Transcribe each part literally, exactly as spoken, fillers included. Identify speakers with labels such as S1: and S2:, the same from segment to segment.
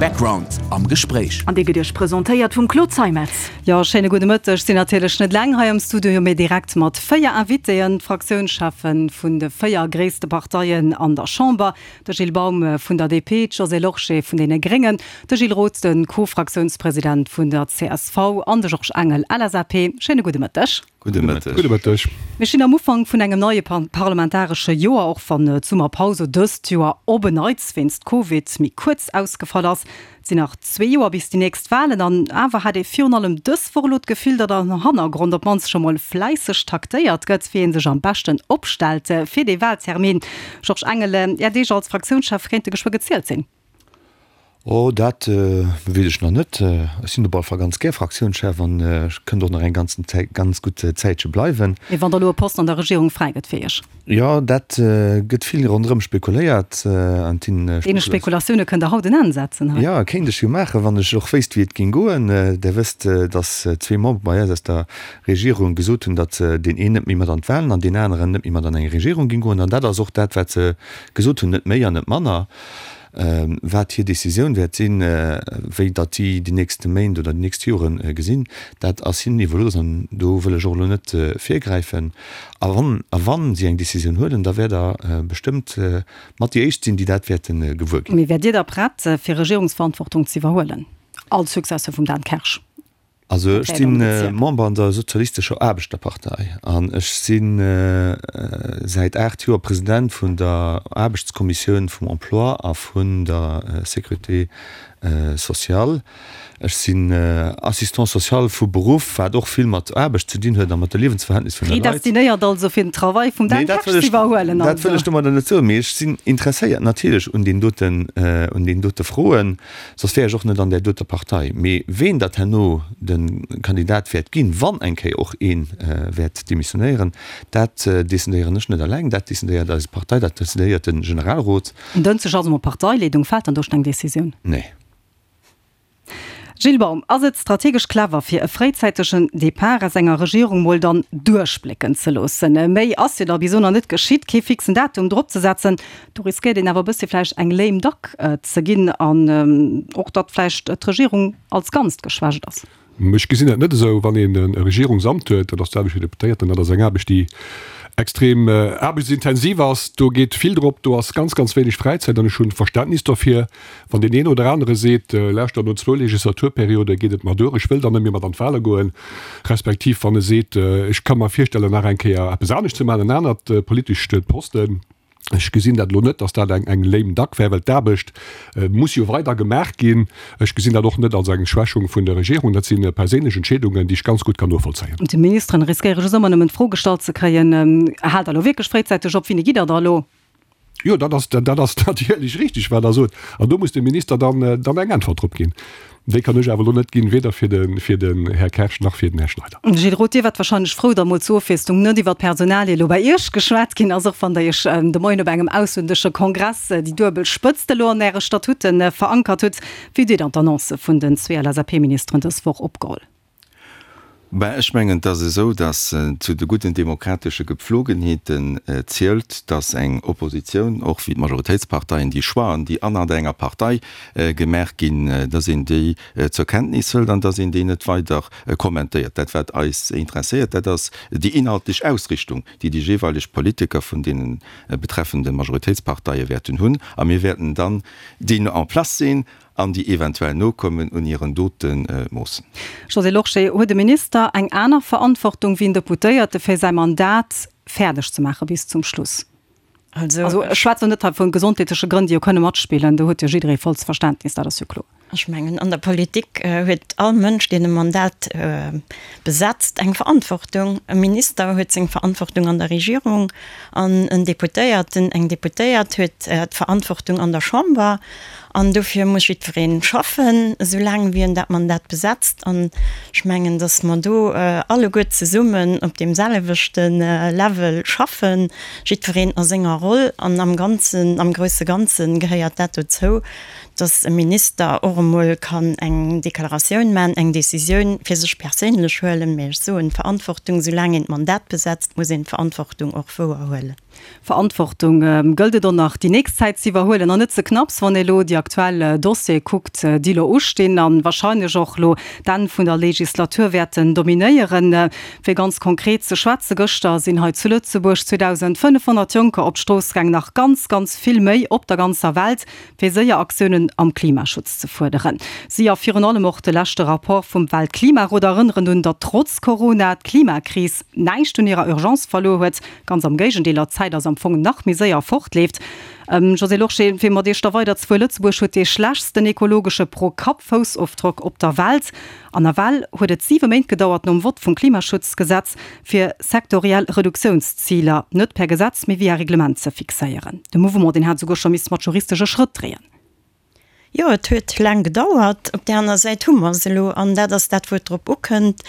S1: Background am Gespréich.
S2: An dee gëtt Iech presentéiert vum Claude Zeimetz.
S3: Jo, schéine gudde Mëtteg. Sinn natierlech net eleng hei am Studio, mee direkt mat véier Invitéen, d'Fraktiounscheffe vun de véier gréisste Parteien an der Chamber, de Gilles Baum vun der D P, d'Josée Lorsché vun deene Gréngen, de Gilles Roth, de Co-Fraktiounspresident vun der C S V an de Georges Engel, L S A P. Schéine gudde Mëtteg.
S4: Gudde Mëtteg.
S5: Gudde Mëtteg.
S3: Mir stinn am Ufank vun engem neie parlamentaresche Joer, och wann d'Summerpaus dëst Joer op en Neits wéinst Covid méi kuerz ausgefall ass. Et sinn nach zwee Joer bis déi nächst Walen an awer hat ee virun allem dës Woch elo d'Gefill, datt am Hannergrond op d'mannst scho mol fläisseg taktéiert gëtt, wéi ee sech am beschten opstellt fir dee Waltermin. Georges Engel, Är Deeg als Fraktiounschef kéinte geschwë gezielt sinn.
S4: Oh, dat weess ech nach net. Ech sinn op alle Fall ganz gär Fraktiounschef an ech kënnt och nach eng ganzen Zäit, ganz gutt Zäitche bleiwen.
S3: Mee wann da elo e Posten an der Regierung fräi gëtt fir Iech?
S4: Jo, dat gëtt vill ronderëm spekuléiert an
S3: Deene Spekulatioune kënnt Der haut en Enn setzen hei.
S4: Jo, kéint ech jo maachen, wann ech och wéisst, wéi et géing goen. Der wësst, datt zwee Membere bei eis aus der Regierung gesot hunn, datt deen een net méi mat an d'Walen an deen aneren net méi mat an eng Regierung géing goen. An dat ass och dat, wat se gesot hunn, net méi an net manner. Wat hir Decisioun wäert sinn, wéi datt si déi nächste Méint oder déi nächst Jore gesinn, dat ass hinnen iwwerlooss an do wëll ech och elo net virgräifen. A wann, a wann si eng Decisioun huelen, da wäert Der bestëmmt mat déi Éischt sinn, déi dat wäerte gewuer ginn.
S3: Mee wäert Dir da prett, fir Regierungsverantwortung ze iwwerhuelen als Successeur vum Dan Kersch?
S4: Also ech si Member an der Sozialistescher Aarbechterpartei an ech si säit aacht Joer President vun der Aarbechtskommissioun vum Emploi a vun der Sécurité sociale. Ech sinn Assistant social vu Beruff, wat och vill mat Aarbecht ze dinn huet a mat de Liewensverhältnis vun de
S3: Leit. Predestinéiert also fir den Travail vum Dan Kersch ze iwwerhuelen.
S4: Dat wëll ech domadder net soen, mee ech sinn interesséiert natierlech un deenen doten, un deenen dote Froen. Soss wär ech och net an där doter Partei. Mee ween datt herno de Kandidat wäert ginn, wann eng Kéier och ee wäert demissionéieren, dat decidéieren ech net eleng, dat decidéiert eis Partei, dat decidéiert de Generalrot.
S3: En Dënschdeg also mat Parteileedung, fält dann do schonn eng Decisioun?
S4: Nee.
S3: Gilles Baum, Ass et strategesch clever, fir e fréizäitegen Depart aus enger Regierung mol dann duerchblécken ze loossen? Méi ass jo da bis elo nach net geschitt. Kee fixen Datum drop ze setzen, do riskéiert een awer e bëssi vläicht eng lame duck ze ginn an och datt vläicht d'Regierung als Ganzt geschwächt ass.
S5: Ech gesinn dat net esou. Wann een e Regierungsamt huet, dat ass d'Aarbecht fir Deputéierten, dat ass eng Aarbecht, déi extrem aarbechtsintensiv ass, do geet vill drop, do ass ganz, ganz wéineg Fräizäit an ech hunn Verständnis dofir, wann deen een oder anere seet, lauschtert, no zwou Legislaturperiode geet et mer duer, ech wëll dann net méi mat an d'Wahle goen, respektiv wann e seet, ech ka mer virstellen, nach eng Kéier eppes anescht ze maachen, en anert politescht Posten. Ech gesinn dat elo net, datt dat eng eng lame duck wär, well d'Aarbecht muss jo weider gemaach ginn. Ech gesinn dat och net als eng Schwächung vun der Regierung. Dat si perséinlech Entscheedungen, déi ech ganz gutt kann novollzéien.
S3: D'Ministeren riskéiere just ëmmer nëmmen d'Fro gestallt ze kréien, Haalt Der elo wierklech fréizäiteg op? Wéini gitt Der da elo?
S5: Jo, dat ass, dat ass natierlech richtig, wat Der sot. An do muss de Minister dann, dann eng Äntwert drop ginn. Déi kann ech awer elo net ginn, weder fir de, fir den Här Kersch nach fir den Här Schneider.
S3: Gilles Roth, Dir waart wahrscheinlech frou, datt mol zur Ofwiesslung net iwwer d'Personalie elo bei Iech geschwat ginn ass, och wann Der Iech de Moien op engem auslännesche Kongress déi duebel Spëtzt elo an Äre Statuten verankert hutt. Wéi hutt Dir dann d'Annonce vun den zwee L S A P-Ministeren dës Woch opgeholl?
S6: Ben, ech mengen, et ass esou, datt zu de gudden demokratesche Gepflogenheeten zielt, datt eng Oppositioun, och wéi d'Majoritéitsparteien, déi Choixen, déi anert enger Partei gemaach ginn, datt een déi zur Kenntnis hëlt an datt een déi net weider kommentéiert. Dat, wat eis interesséiert, dat ass déi inhaltlech Ausrichtung, déi déi jeeweileg Politiker vun deene betreffende Majoritéitsparteie wäerten hunn. A mir wäerten dann déi en place sinn an déi eventuell nokommen un hiren Dote moossen.
S3: Josée Lorsché, Huet e Minister eng aner Verantwortung wéi en Deputéierte fir säi Mandat fäerdeg ze maache bis zum Schluss?
S7: Also
S3: ech schwätzen net hei vu gesondheetleche Grënn, déi jo kënne matspillen, do huet jo jidderee vollst Verständnis, dat ass jo kloer.
S7: Ech mengen, an der Politik huet all Mënsch, deen e Mandat besetzt, eng Verantwortung. E Minister huet seng Verantwortung an der Regierung an en Deputéierten, eng Deputéiert huet d'Verantwortung an der Chamber. An dofir muss jiddweree schaffen, esoulaang wéi en dat Mandat besetzt. An ech mengen, datt mer do alleguer zesummen op deem selwechte Level schaffen, jiddwereen a senger Roll. An am Ganzen, am grousse Ganze gehéiert dat dozou, datt e Minister och emol kann eng Deklaratioun maachen, eng Decisioun fir sech perséinlech huelen. Mä ech soen, d'Verantwortung, soulaang een d'Mandat besetzt, muss een d'Verantwortung och wouerhuelen.
S3: Verantwortung gëllt et och nach déi nächst Zäit ze iwwerhuelen an net ze knapps, wann ee lo déi aktuell Dossiere kuckt, déi lo ustinn a wahrscheinlech och lo d'Enn vun der Legislatur wäerten dominéieren. Fir ganz konkret ze schwätzen, Gëschter sinn hei zu Lëtzebuerg zweedausendfënnefhonnert Jonker op d'Strooss gaang, nach ganz, ganz vill méi op der ganzer Welt, fir séier Aktiounen am Klimaschutz ze fuerderen. Si a virun allem och de leschte Rapport vum Weltklimarot erënneren un, datt trotz Corona d'Klimakris näischt un hirer Urgence verluer huet, ganz am Géigendeel, a d'Zäit ass am Fong nach méi séier fortleeft. Josée Lorsché, fir mat Iech da weiderzefueren, Lëtzebuerg huet dee schlechtsten ekologesche Pro-Kapp-Foussofdrock op der Welt. An nawell huet et siwe Méint gedauert nom Vott vum Klimaschutzgesetz, fir sektoriell Reduktiounsziler net per Gesetz, mee via Reglement ze fixéieren. De Mouvement, deen hat souguer scho misst mat juristesche Schrëtt dreeën.
S7: Jo, et huet laang gedauert. Op där aner Säit hu mer se elo, an dat ass dat, wou et drop ukënnt.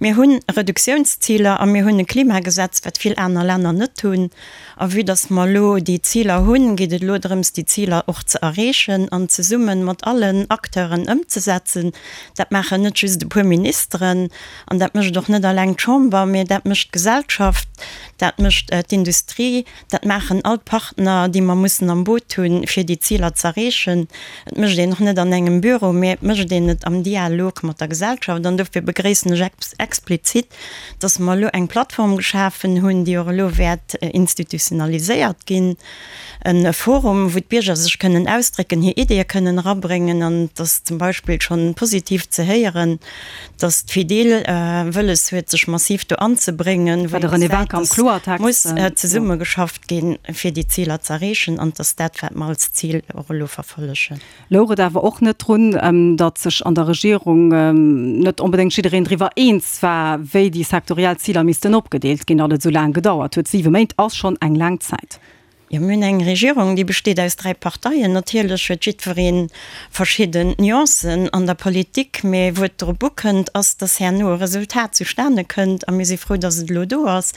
S7: Mir hu Reduktiounsziler a mir hunn e Klimagesetz, wat vill aner Länner net hunn. A vue dass mer elo déi Ziler hunn, geet et elo drëms, déi Ziler och ze erreechen an zesumme mat allen Acteuren ëmzesetzen. Dat maachen net just e puer Ministeren an dat mécht och net eleng d'Chamber, mee dat mécht d'Gesellschaft, dat mécht d'Industrie, dat maachen all d'Partner, déi mer mussen am Boot hunn, fir déi Ziler z'erreechen. Et mécht een och net an engem Büro, mee et mécht een et am Dialog mat der Gesellschaft. An dofir begréissen ech explizit, dass mer elo eng Plattform geschafen hunn, déi och elo wäert institutionaliséiert ginn, e Forum, wou d'Bierger sech kënnen ausdrécken, hir Ideeë kënnen erabréngen. An et ass zum Beispill schonn positiv ze héieren, dass d'Fedil wëlles huet, sech massiv do anzebréngen, wou ee gesäit, dass muss zesummegeschafft ginn, fir déi Ziler z'erreechen, an dass dat, wat mer als Zil och elo verfollegen.
S3: Louch et awer och net drun, datt sech an der Regierung net onbedéngt jiddereen driwwer eens war, wéi déi sektoriell Ziler missten opgedeelt ginn, datt et esou laang gedauert huet? Siwe Méint ass schonn eng laang Zäit.
S7: Jo, mir hunn eng Regierung, déi besteet aus dräi Parteien. Natierlech huet jiddweree verschidden Nuancen an der Politik, mee wou et drop ukënnt, ass, dass herno e Resultat zustane kënnt. A mir si frou, dass et elo do ass.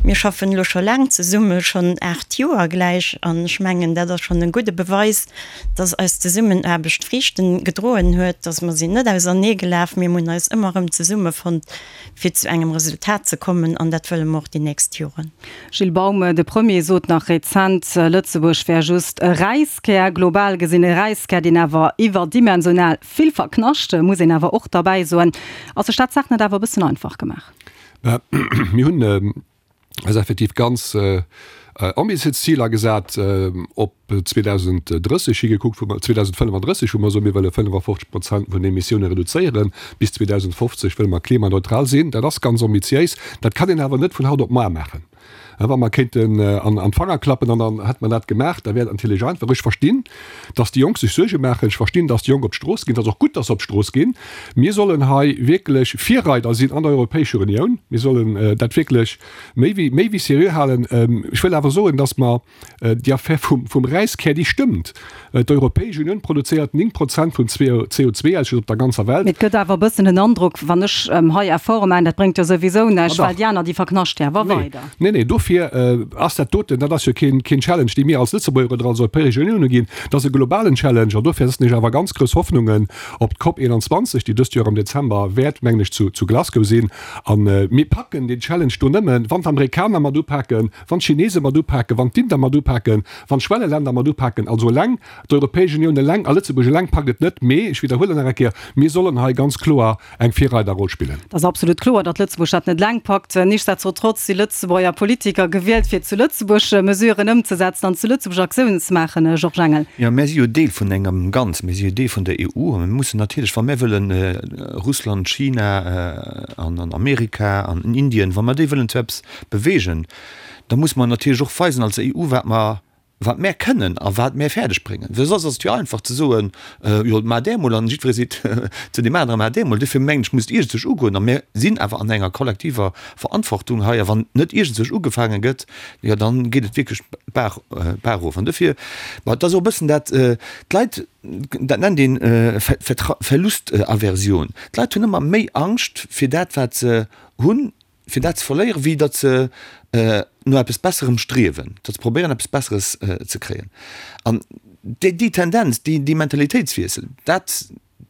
S7: Mir schaffen elo scho laang zesumme, schonn aacht Joer gläich. An ech mengen, dat ass schonn e gudde Beweis, dass eis Zesummenaarbecht Friichten gedroen huet, dass mer sinn net auserneegelaf, mee mir hunn eis ëmmer erëm zesummefonnt, fir zu engem Resultat ze kommen. An dat wëlle mer och déi nächst Joren.
S3: Gilles Baum, De Premier sot nach rezent, Lëtzebuerg wär just e Räiskär, global gesinn e Räiskär, deen awer iwwerdimensional vill verknascht, muss een awer och derbäi soen. Ass sech dat d'Saach net awer e bëssen einfach gemaach?
S5: Mir hunn eis effektiv ganz ambitiéis Ziler gesat, op zweedausenddrësseg higekuckt, wou mer zweedausendfënnefandrësseg, wou mer soen, mir wëlle fënnefafofzeg Prozent vun den Emissioune reduzéieren, bis zweedausendfofzeg wëlle mer klimaneutral sinn. Dat ass ganz ambitiéis. Dat kann een awer net vun haut op muar maachen. Wa mer kéinten an d'Fanger klappen an dann hätte mer dat gemaach, da wär et natierlech einfach. Ech verstinn, datt déi Jonk sech Suerge maachen. Ech verstinn, datt déi Jonk op d'Strooss ginn. Et ass och gutt, datt se op d'Strooss ginn. Mir sollen hei wierklech Virreider sinn an der Europäescher Unioun. Mir sollen dat wierklech méi wéi, méi wéi seriö halen. Ech wëll awer soen, datt mer déi Affär vum, vum Räiskär, déi stëmmt. D'Europäesch Unioun produzéiert néng Prozent vum C O zwei Ausstoss op der ganzer Welt.
S3: Mee et gëtt awer e bëssen den Androck, wann ech hei Efforte maachen, dat bréngt jo souwisou näischt, well déi aner, déi verknascht jo awer weider.
S5: Nee, nee, dofir ass dat doten, dat ass jo keen, keen Challenge, dee mir als Lëtzebuerger oder als Europäesch Unioun uginn, dat ass e globalen Challenge. An dofir setzen ech awer ganz grouss Hoffnungen op d'Cop einundzwanzeg, déi dëst Joer am Dezember wäert, mengen ech, zu, zu Glasgow sinn. A mir packen deen Challenge do nëmmen, wann d'Amerikaner mat upaken, wann d'Chinese mat upaken, wann d'Inder mat upaken, wann d'Schwelleländer mat upaken. Also eleng d'Europäesch Unioun eleng a Lëtzebuerg eleng packt et net. Mee, ech widderhuelen nach eng Kéier, mir sollen hei ganz kloer eng Virreiderroll spillen.
S3: Et ass absolut kloer, datt Lëtzebuerg dat net eleng packt. Nichtsdestotrotz si Lëtzebuerger Politiker gewielt, fir zu Lëtzebuerg Mesuren ëmzesetzen an zu Lëtzebuerg Aktiounen ze maachen, Georges Engel.
S4: Jo, mär si jo Deel vun engem Ganzen. Mir si jo Deel vun der E U a mir mussen natierlech, wa mär wëllen Russland, China an Amerika an Indien, wa mer déi wëllen zu eppes beweegen, da musse mer natierlech och weisen als E U, wat mer wat mär kënnen a wat mär fäerdeg bréngen. Well soss ass et jo einfach ze soen, jo maacht där emol an jiddweree seet zu deem aneren, maacht där emol. Dofir mengen ech, muss et iergendzwousch ugoen a mär sinn awer an enger kollektiver Verantwortung hei a wann net iergendzwousch ugefaange gëtt, jo dann geet et wierklech d'Baach d'Baach erof. An dofir, ma et ass och e bëssen dat, d'Leit, dat nennt een Verlustaversion, d'Leit hunn ëmmer méi Angscht fir dat wat se hunn, fir dat ze verléieren, wéi datt se no eppes Besserem striewen, datt se probéieren, eppes Besseres ze kréien. An déi, déi Tendenz, déi, déi Mentalitéitswiessel, dat,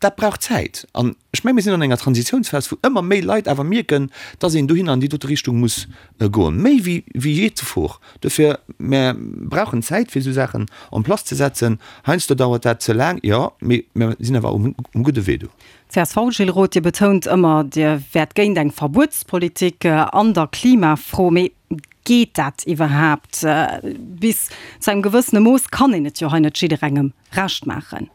S4: Dat brauch Zäit. An ech menge mir sinn an enger Transitiounsphas, wou ëmmer méi Leit awer mierken, dass een dohinner an déi dote Richtung muss goen, méi wéi wéi jee zuvor. Dofir, mär brauchen Zäit, fir esou Saachen en place ze setzen. Heiansdo dauert dat ze laang, jo, mee mär sinn awer um um gudde Wee do.
S3: Csv, Gilles Roth, Dir betount ëmmer, Dir wäert géint eng Verbuetspolitik an der Klimafro. Mee geet dat iwwerhaapt? Bis zu engem gewëssene Mooss kann een et jo hei net jidderengem Recht maachen.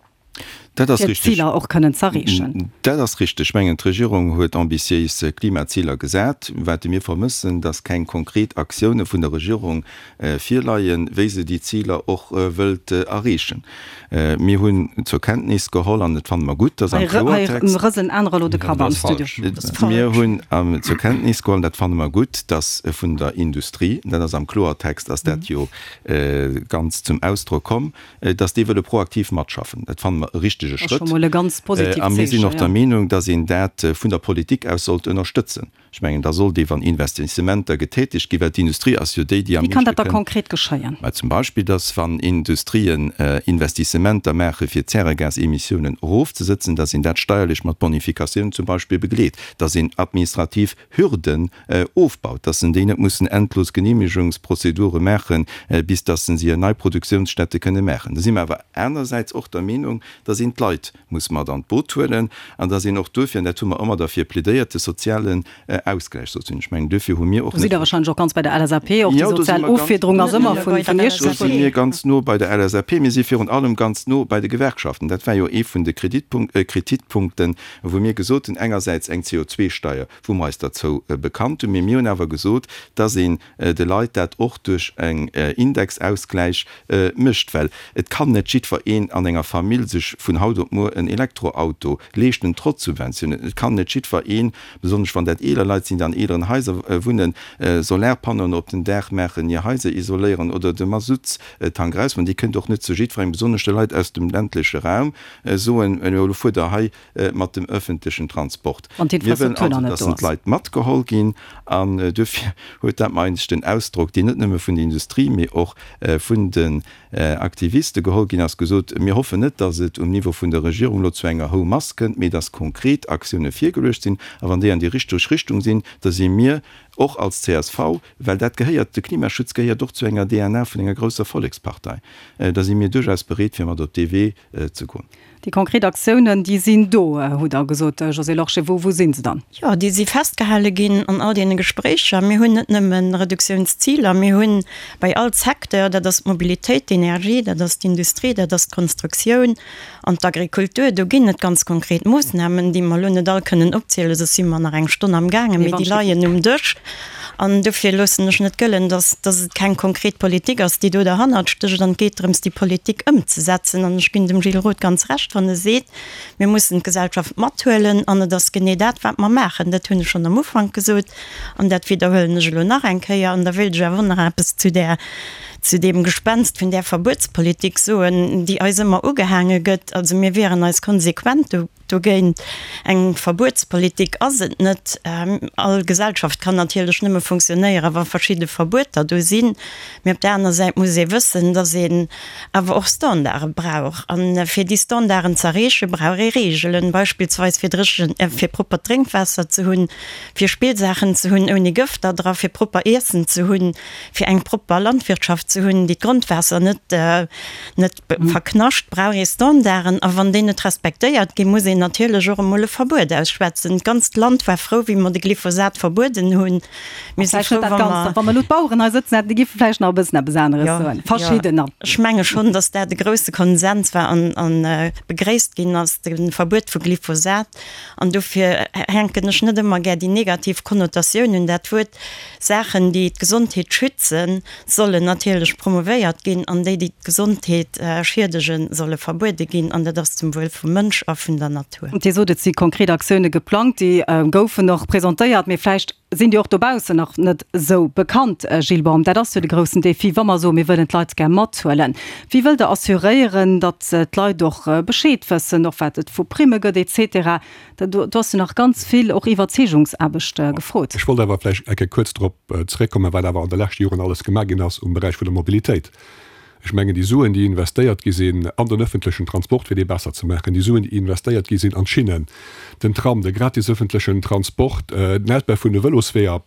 S6: Dat ass
S3: fir
S6: richteg.
S3: d'Ziler och kënnen z'erreechen.
S6: Dat ass richteg. Ech mengen, d'Regierung huet ambitiéis Klimaziler gesat. Wat mir vermëssen, dass keng konkret Aktioune vun der Regierung virleien, wéi se déi Ziler och wëllt erreechen. Mir hunn zur Kenntnis geholl, an dat fanne mer gutt, dass am
S3: Hei
S6: Kloertext.
S3: rëselen anerer elo de Kapp am Studio.
S6: Mir hunn zur Kenntnis geholl, an dat fanne mer gutt, dass vun der Industrie, dat ass am Kloertext ass dat jo ganz zum Ausdrock komm, dass déi wëlle proaktiv matschaffen. Dat fanne mer e richtege
S3: Schrëtt.
S6: A mir sinn och der Meenung, dass een dat vun der Politik aus sollt ënnerstëtzen. Ech mengen, da sollt ee, wann Investissementer getätegt ginn, well d'Industrie ass jo déi, déi am
S3: Wéi kann
S6: meeschte
S3: dat da
S6: kënn.
S3: konkret geschéien?
S6: Mä zum Beispill, dass wann Industrien Investissementer maache fir d'Zäregasemissiounen erofzesëtzen, dass een dat steierlech mat Bonifikatiounen zum Beispill begleet, dass een administrativ Hürden ofbaut, dass en déi net mussen endlos Genehmigungsprozedure maachen, bis dass se hir nei Produktionsstätte kënne maachen. Da si mer awer anersäits och der Meenung, dass een d'Leit muss mat an d'Boot huelen an dass een och duerfir, an dat hu mer ëmmer derfir plädéiert, de sozialen Ausgläich sollt hunn. Ech mengen, duerfir hu mir och
S3: Do sidd
S6: net.
S3: Der wahrscheinlech och ganz bei der LSAP. Och déi
S6: Jo, do si
S3: sozial
S6: mer ganz.
S3: Offiederung ass ëmmer vun vun Iech
S6: Do si mir ganz no bei der LSAP. Mir si virun allem ganz no bei de Gewerkschaften. Dat war jo ee vun de Kreditpunkten, wou mir gesot hunn, engersäits eng C O zwei Steier, wou mer eis derzou bekannt hunn, mee mir hunn awer gesot, dass een de Leit dat och duerch en Indexausgläich mécht, well et kann net jiddwer een an enger Famill sech vun haut op muer en Elektroauto leeschten, trotz Subventiounen. Et kann net jiddwer een, besonnesch wann dat eeler Leit sinn, déi an eeleren Haiser wunnen, Solarpannoen op den Daach maachen, hir Haiser isoléieren oder de Masuttstank eraushuelen. Dir kënnt och net zu jiddwerengem, besonnesch de Leit aus dem ländleche Raum, soen, Elo fuert Der hei mat dem öffentlechen Transport.
S3: Wann
S6: Mir wëllen
S3: d'Infrastruktur
S6: also,
S3: nach net
S6: dass
S3: do ass.
S6: d'Leit matgeholl ginn. An duerfir huet dat mer eigentlech den Ausdrock, deen net nëmme vun der Industrie, mee och vun den Aktiviste geholl ginn ass, gesot, Mir hoffen net, dass et um Niveau vun der Regierung elo zu enger Houmass kënnt, mee dass konkret Aktioune virgeluecht sinn. A wann déi an déi richteg Richtung sinn, da si mir och als csv, well dat gehéiert, de Klimaschutz gehéiert och zu enger DNA vun enger grousser Vollekspartei, da si mir duerchaus bereet, fir mat op dee Wee ze goen.
S3: Déi konkret Aktiounen, déi sinn do, hutt Der gesot, Josée Lorsché. Wou, wou si se dann?
S7: Jo, déi si festgehale ginn an all deene Gespréicher. Mir hunn net nëmme Reduktiounsziler, mir hunn bei all Secteur, dat ass d'Mobilitéit, d'Energie, dat ass d'Industrie, dat ass d'Konstruktioun an d'Agrikultur, do ginn et ganz konkret Moossnamen, déi mer elo net all kënnen opzielen, soss si mer nach eng Stonn amgaangen, mee déi leien um Dësch. An dofir loossen ech net gëllen, dass, dass et keng konkret Politik ass, déi do derhannert stécht. An et geet drëms, déi Politik ëmzesetzen. An ech ginn dem Gilles Roth ganz Recht, wann e seet, mir mussen d'Gesellschaft mathuelen. An et ass genee dat, wat mer maachen. Dat hunn ech schonn am Ufank gesot an dat widderhuelen ech elo nach eng Kéier. An da wéilt ech awer och nach eppes zu där, zu deem Gespenst vun där Verbuetspolitik soen, déi eis ëmmer ugehaange gëtt. Also mir wieren eis konsequent do. Dogéint eng Verbuetspolitik ass et net. All Gesellschaft kann natierlech nëmme funktionéieren, wa verschidde Verbueter do sinn. Mee op där aner Säit muss ee wëssen, datt een awer och Standarde brauch. A fir déi Standarden ze erreechen, brauch ee Reegelen, beispillsweis fir dréchen, fir proppert Drénkwaasser ze hunn, fir Spillsaachen ze hunn ouni Gëfter dra, fir propper Iessen ze hunn, fir eng propper Landwirtschaft ze hunn, déi d'Grondwaasser net, net verknascht, brauch ee Standarden. A wann déi net respektéiert ginn, muss een natierlech och emol e Verbuet ausschwätzen. D'ganzt Land war frou, wéi mer de Glyphosat verbueden hunn. Mir si
S3: Vläicht
S7: frou,
S3: net dat
S7: wa
S3: Ganzt.
S7: mer.
S3: Wa mer elo d'Baueren hei sëtzen hätten, déi géife vläicht nach e bëssen eppes aneres
S7: Jo,
S3: soen.
S7: jo.
S3: Verschiddener.
S7: Ech menge schonn, datt dat e grousse Konsens war an, an begréisst ginn ass, de Verbuet vu Glyphosat. An dofir hänken ech net ëmmer gär déi negativ Konnotatioun un dat Wuert. Saachen, déi d'Gesondheet schützen, sollen natierlech promouvéiert ginn an déi, déi d'Gesondheet schiedegen, solle verbuede ginn. An dat ass zum Wuel vum Mënsch a vun der Natur.
S3: Dir sot, et si konkret Aktioune geplangt, déi goufen och presentéiert, mee vläicht sinn déi och dobaussen nach net esou bekannt. Gilles Baum, dat ass jo de groussen Défi, wa mer soen, mir wëllen d'Leit gär mathuelen. Wéi wëllt Der assuréieren, datt d'Leit och Bescheed wëssen, och wat et vu Primme gëtt et cetera? Do ass jo nach ganz vill och Iwwerzeegungsaarbecht gefrot.
S5: Ech wollt awer vläicht eng Kéier kuerz drop zeréckkommen, wat awer an de leschte Joren alles gemaach ginn ass um Beräich vun der Mobilitéit. Ech mengen, déi Suen, déi investéiert gi sinn an den öffentlechen Transport, fir dee besser ze maachen, déi Suen, déi investéiert gi sinn an d'Schinnen, den Tram, de gratis öffentlechen Transport, den Ausbau vun de Vëlosweeër,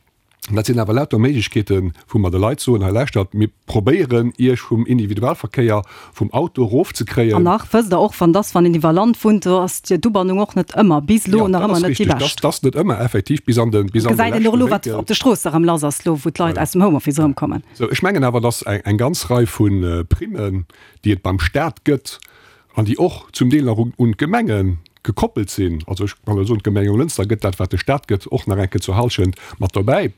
S5: dat sinn awer lauter Méiglechkeeten, wou mer de Leit soen, hei lauschtert, mir probéieren, Iech vum Individualverkéier, vum Auto erofzekréien.
S3: An nach wësst Der och, wann dass, wann een iwwer Land wunnt, do ass d'Ubannung och net ëmmer, bis elo nach ëmmer net déi bescht.
S5: Dat ass net ëmmer effektiv bis an de, bis an de
S3: Gesäit een och elo, wat op de Stroosse erëm lass ass, elo wou d'Leit aus dem Homeoffice erëmkommen.
S5: Sou, ech mengen awer, dass eng ganz Rei vu Primmen, déi et beim Stat gëtt an déi och zum Deel nach un d'Gemenge gekoppelt sinn, also ech kann elo soen, d'Gemeng Jonglënster gëtt dat, wat de Stat gëtt, och nach eng Kéier zur Hallschent mat dobäi.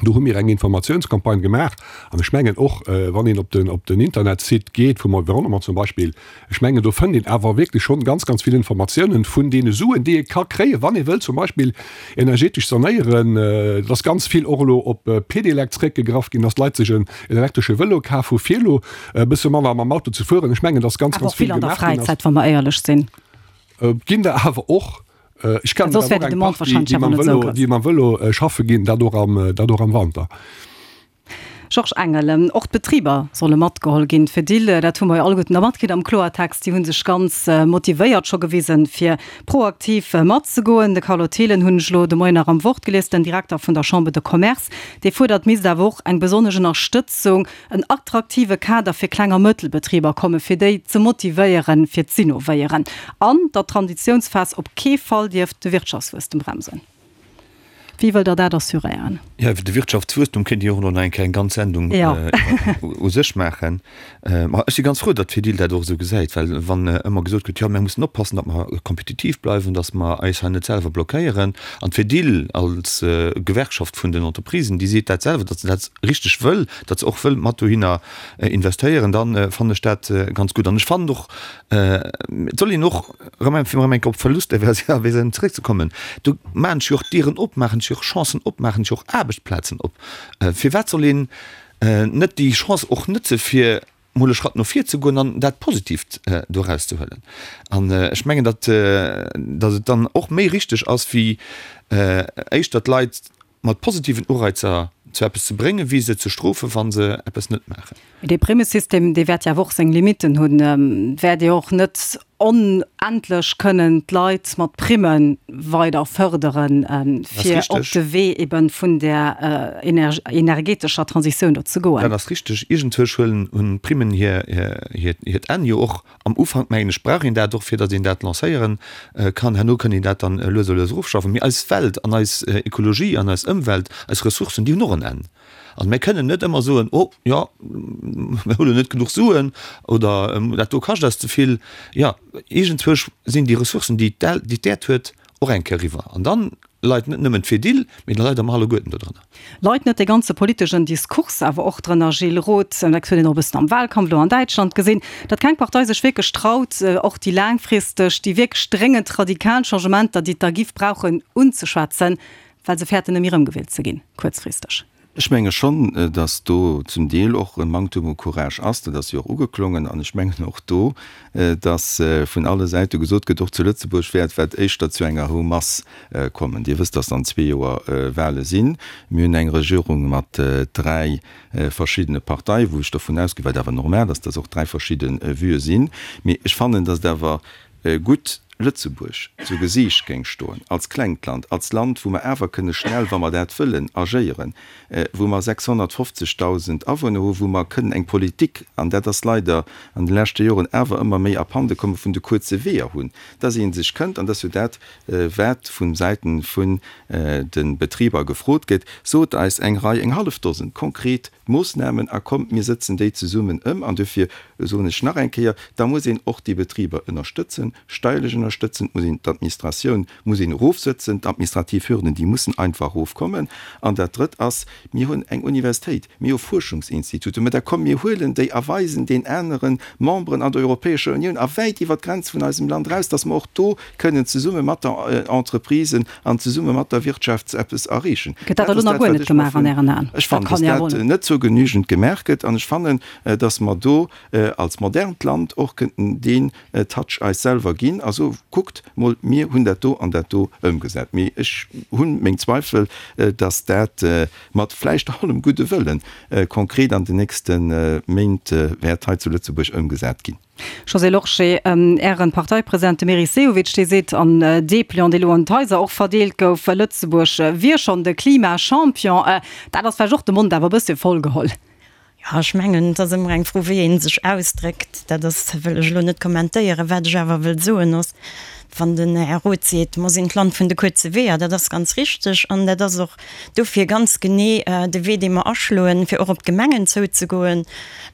S5: Do hu mir eng Informatiounscampagne gemaach an ech mengen och, wann een op den, op den Internetsite geet vum Environnement zum Beispill, ech mengen do fënnt een awer wierklech schonn ganz, ganz vill Informatiounen vun deene Suen, déi ee ka kréien, wann ee wëllt zum Beispill energetesch sanéieren. Et ass ganz vill och elo op Pedelec zréckgegraff ginn, dass d'Leit sech en elektresche Vëlo kaf hu fir elo e bësse manner mam Auto ze fueren. Ech mengen, dass ganz,
S3: Awer
S5: ganz
S3: och vill
S5: vill
S3: an der
S5: gemaach ginn ass.
S3: Fräizäit, wa mer éierlech sinn.
S5: Ginn der awer och. Ech kennen
S3: Soss
S5: awer
S3: wär
S5: och
S3: déi
S5: eng
S3: Demande
S5: Partie,
S3: wahrscheinlech
S5: déi
S3: awer
S5: mam
S3: net esou
S5: Vëlo,
S3: grouss.
S5: déi mam Vëlo schaffe ginn, dat och am, dat och am Wanter.
S3: Georges Engel, Och d'Betriber solle matgeholl ginn. D'Fedil, dat hu mer jo alleguerten da matkritt am Kloertext, déi hu sech ganz motivéiert scho gewisen, fir proaktiv matzegoen. De Carlo Thelen hunn ech elo de Moien nach am Wort gelies, den Direkter vun der Chambre de Commerce, dee fuerdert, misst awer och eng besonnesch Ënnerstëtzung, en attraktive Kader fir Kleng a Mëttelbetriber kommen, fir déi ze motivéieren, fir z'innovéieren, an datt d'Transitiounsphas op kee Fall dierft de Wirtschaftswuesstem bremsen. Wéi wëllt Der dat assuréieren?
S4: Jo, iwwer de Wirtschaftswuesstum kéint ee jo och elo nach eng Kéier eng ganz Sendung u sech maachen. Ma ech si ganz frou, datt d'Fedil dat och esou gesäit, well wann ëmmer gesot gëtt, jo, mir mussen oppassen, datt mer kompetitiv bleiwen, datt mer eis hei net selwer blockéieren, an d'Fedil als Gewerkschaft vun den Entreprisen, déi seet dat selwer, datt se dat richteg wëll, datt se och wëll mat dohinner investéieren, da fannen ech dat ganz gutt. An ech fannen och, et soll een och, erëm fir erëm eng Kéier op d'Verlusterversioun zeréckzekommen, do maachen sech jo och Dieren op, maachen sech jo och Chancen op, maachen sech och Aarbechtsplazen op. Firwat soll een net déi Chance och nëtze fir mol e Schratt no vir ze goen an dat Positiivt do erauszehuelen? An ech mengen, datt datt et dann och méi richteg ass, wéi éischter d'Leit mat positiven Ureizer zu eppes ze bréngen, wéi se ze strofen, wa se eppes net maachen.
S3: Mee dee Primmesystem, dee wäert jo awer och seng Limitten hunn. Wäert Dir och net onendlech kënnen d'Leit mat Primme weider fërderen, fir op de Wee ebe vun där energetescher Transitioun do ze goen?
S4: Dat ass richteg. Iergendwousch huelen hunn d'Primmen hiert Enn jo och. Am Ufank, mengen ech, brauch een dat och, fir datt een dat lancéiere kann. Herno kënnt een dat dann lues a lues erofschaffen. Mee eis Welt an eis Ekologie an eis Ëmwelt, eis Ressourcen, déi hunn och en Enn. An mir kënnen net ëmmer soen, Oh jo, mir hu lo net genuch Suen oder dat do kascht eis ze vill. Jo, iergendzwousch sinn déi Ressourcen, déi d'Äerd huet, och eng Kéier eriwwer. An dann leit net nëmmen d'Fedil, mee da leide mer alleguerten dodrënner.
S3: Leit net dee ganze politeschen Diskurs awer och drënner, Gilles Roth? Dat huet een och e bëssen am Wahlkampf elo an Däitschland gesinn, datt keng Partei sech wierklech traut, och déi laangfristeg, déi wierklech dréngend radikal Changementer, déi et da giff brauchen, unzeschwätzen, well se fäerten, nëmme erëmgewielt ze ginn, kuerzfristeg.
S6: Ech menge schonn, datt do zum Deel och e Manktum u Courage ass. Dat ass jo och ugeklongen. An ech mengen och do, datt vun alle Säite gesot gëtt, och zu Lëtzebuerg wäert wat éischter zu enger Hou masse kommen. Dir wësst, datt an zwee Joer Wahle sinn. Mir hunn eng Regierung mat dräi verschiddene Parteien, wou ech dervun ausginn, wat awer normal ass, datt och dräi verschidde Vuë sinn. Mee ech fannen, datt et awer gutt Lëtzebuerg zu Gesiicht géing stoen, als klengt Land, als Land, wou mer awer kënne schnell, wa mer dat wëllen, agéieren, wou mer sechshonnertfofzegdausend Awunner hu, wou mer kënnen eng Politik, an dat ass leider an de leschte Joren awer ëmmer méi abhande komme vun de kuerze Weeër hunn, dass ee sech kënnt, an dat ass jo dat, wat vu Säite vun de Betriber gefrot gëtt, sot eis eng Rei, eng hallef Dosen konkret Moossnamen a kommt, mir sëtzen déi zesummen ëm. An duerfir soen ech nach eng Kéier, da muss een och déi Betriber ënnerstëtzen, steierlech ënnerstëtzen, et muss een d'Administratioun muss een erofsëtzen, d'administrativ Hürden, déi mussen einfach erofkommen. An dat Drëtt ass, mir hunn eng Universitéit, mir hu Fuerschungsinstituten, mä da komm, mir huelen déi a weisen den anere Memberen an der Europäescher Unioun a wäit iwwert d'Grenze vun eisem Land eraus, dass mer och do kënnen zesumme mat der Entreprise an zesumme mat der Wirtschaft eppes erreechen.
S3: Gëtt dat elo nach guer net gemaach an Ären Aen?
S6: Ech fannen, dass dat net zur Genügend gemaach gëtt an ech fannen, dass mer do als modernt Land och kënnten deen Touch eis selwer ginn a soen, Kuckt mol, mir hunn dat do an dat do ëmgesat. Mee ech hu meng Zweifel, dass dat mat vläicht allem gudde Wëllen konkret an den nächste Méint wäert hei zu Lëtzebuerg ëmgesat ginn.
S3: Josée Lorsché, Ären Parteipresident, de Meris Sehovic, dee seet an Depliant, dee lo an d'Haiser och verdeelt gouf, Lëtzebuerg wier schonn de Klimachampion. Dat ass vläicht och de Mond awer e bësse voll geholl.
S7: Jo, ech mengen, et ass ëmmer eng Fro, wéi ee sech ausdréckt. Dat ass, wëll ech elo net kommentéieren. Wat ech awer wëll soen ass, wann den Här Roth seet, mer sinn d'Land vun de kuerze Weeër, dat ass ganz richteg an dat ass och dofir ganz genee de Wee, dee mer aschloen, fir och op d'Gemengen zouzegoen.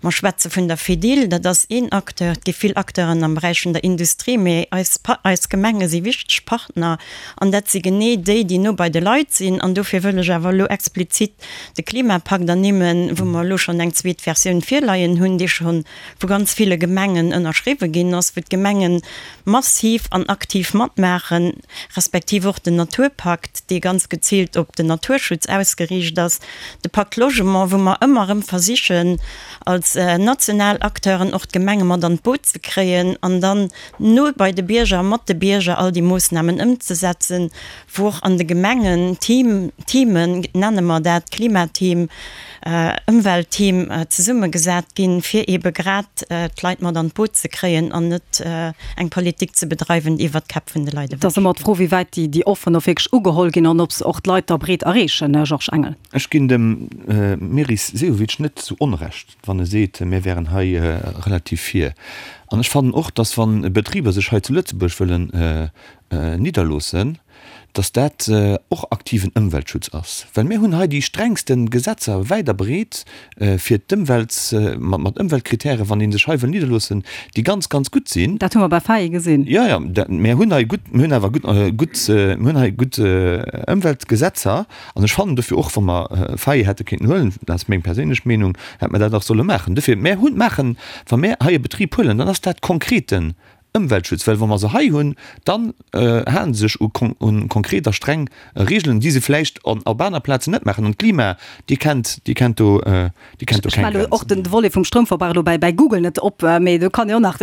S7: Mer schwätze vun der Fedil, dat ass een Acteur. Et gi vill Acteuren am Beräich vun der Industrie, mee eis, eis Gemenge si wichteg Partner an dat si genee déi, déi no bei de Leit sinn. An dofir wëll ech awer elo explizit de Klimapakt ernimmen, wou mer elo schonn eng zweet Versioun virleien hunn, dee scho vu ganz ville Gemengen ënnerschriwwe ginn ass, wou d'Gemenge massiv an aktiv matmaachen, respektiv och den Naturpakt, dee ganz geziilt op den Naturschutz ausgeriicht ass, de Pacte Logement, wou mer ëmmer erëm versichen, als national Acteuren och d'Gemenge mat an d'Boot ze kréien an dann no bei de Bierger, mat de Bierger all déi Moossnamen ëmzesetzen, wou och an de Gemengen Team, Teamen, nenne mer dat, Klimateam, Ëmweltteam zesummegesat ginn, fir eebe grad d'Leit mat an d'Boot ze kréien an net eng Politik ze bedreiwen, déi iwwert d'Käpp vun de Leit
S3: Et ass ëmmer d'Fro, wéi wäit déi Offeren och wierklech ugeholl ginn an ob se och d'Leit da breet erreechen, Georges Engel.
S4: Ech ginn dem Meris Sehovic net zu Onrecht, wann e seet, mir wären hei relativ vir. An ech fannen och, dass wa Betriber sech hei zu Lëtzebuerg wëllen nidderloossen, dass dat och aktiven Ëmweltschutz ass, well mir hunn hei déi strengste Gesetzer wäit a breet fir d'Ëmwelt, mat Ëmweltkritären, wann ee sech hei wëll nidderloossen, déi ganz, ganz gutt sinn.
S3: Dat hu mer bei Faye gesinn.
S4: Jo, jo, mir hunn hei gutt, mir hunn awer gutt, gutt, mir hunn hei gutt Ëmweltgesetzer. An ech fannen dofir och, wa mer Faye hätte kéinten huelen, dat ass meng perséinlech Meenung, hätt mer dat och solle maachen. Dofir, mir hunn, maachen, wa mir hei e Betrib huelen, dann ass dat konkreten Ëmweltschutz, well wa mer se hei hunn, dann hale se sech u konkret a streng Regeln, déi se vläicht op aner Plazen net maachen. An d'Klima, déi kennt, déi kennt do, déi kennt do
S3: keng Grenzen. Ech melle och den Volet vum Stroumverbrauch elo bäi Google net op, mee do kann een och nach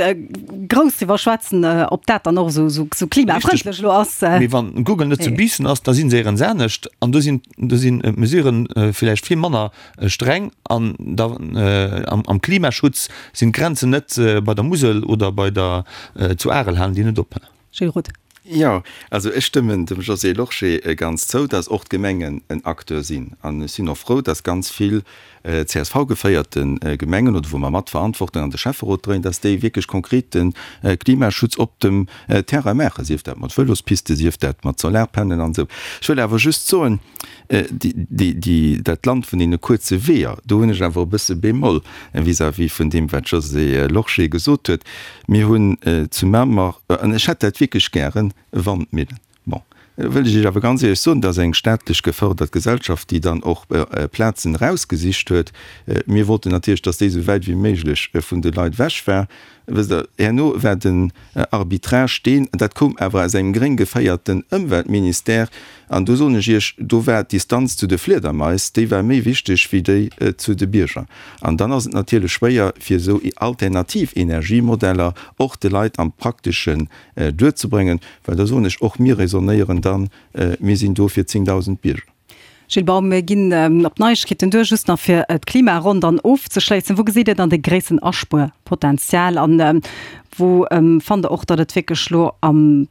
S3: grouss driwwer schwätzen, ob dat dann och esou klimafrëndlech elo ass.
S4: Mee wann Google net zu Biissen ass, da si se éierens anescht an do sinn, do sinn d'Mesuren vläicht vill manner streng an da am Klimaschutz sinn d'Grenzen net bei der Musel oder bei der zu Arel, halen déi net op.
S3: Gilles Roth.
S6: Jo, also ech stëmmen dem Josée Lorsché ganz zou, dass och d'Gemengen en Acteur sinn. An ech sinn och frou, dass ganz vill C S V-geféierte Gemengen oder wou mer mat Verantwortung an de Schäfferot dréien, dass déi wierklech konkret de Klimaschutz op dem Terrain maachen, sief dat mat Vëlospiste, sief dat mat Solarpanelen an esou. Ech wëll awer just soen, dat Land vun deene kuerze Weeër, do hunn ech awer e bësse Bémol vis-à-vis vun deem, wat d'Josée Lorsché gesot huet. Mir hunn zu Mamer, an ech hätt dat wierklech gären, Wandmillen. Bon, do wëll ech Iech awer ganz éierlech soen, dat ass eng staatlech gefërdert Gesellschaft, déi dann och Plazen erausgesicht huet. Mir wollten natierlech, dass déi esou wäit wéi méiglech vun de Leit ewech war. Wësst Der, herno war den Arbitrage deen, dat koum awer aus engem gréng geféierten Ëmweltministère, an do soen ech Iech, do war d'Distanz zu de Fliedermais, déi war méi wichteg wéi déi zu de Bierger. An dann ass et natierlech schwéier, fir esou alternativ Energiemodeller och de Leit am Prakteschen duerzebréngen, well da soen ech, och mir raisonnéieren dann, mir sinn do fir zéngdausend Bierger.
S3: Gilles Baum, mir ginn op d'Neiegkeeten duer, just nach fir d'Klimaronn dann ofzeschléissen. Wou gesitt Dir dann de gréissten Aspuerpotenzial an wou fannt Der och, datt et wierklech elo am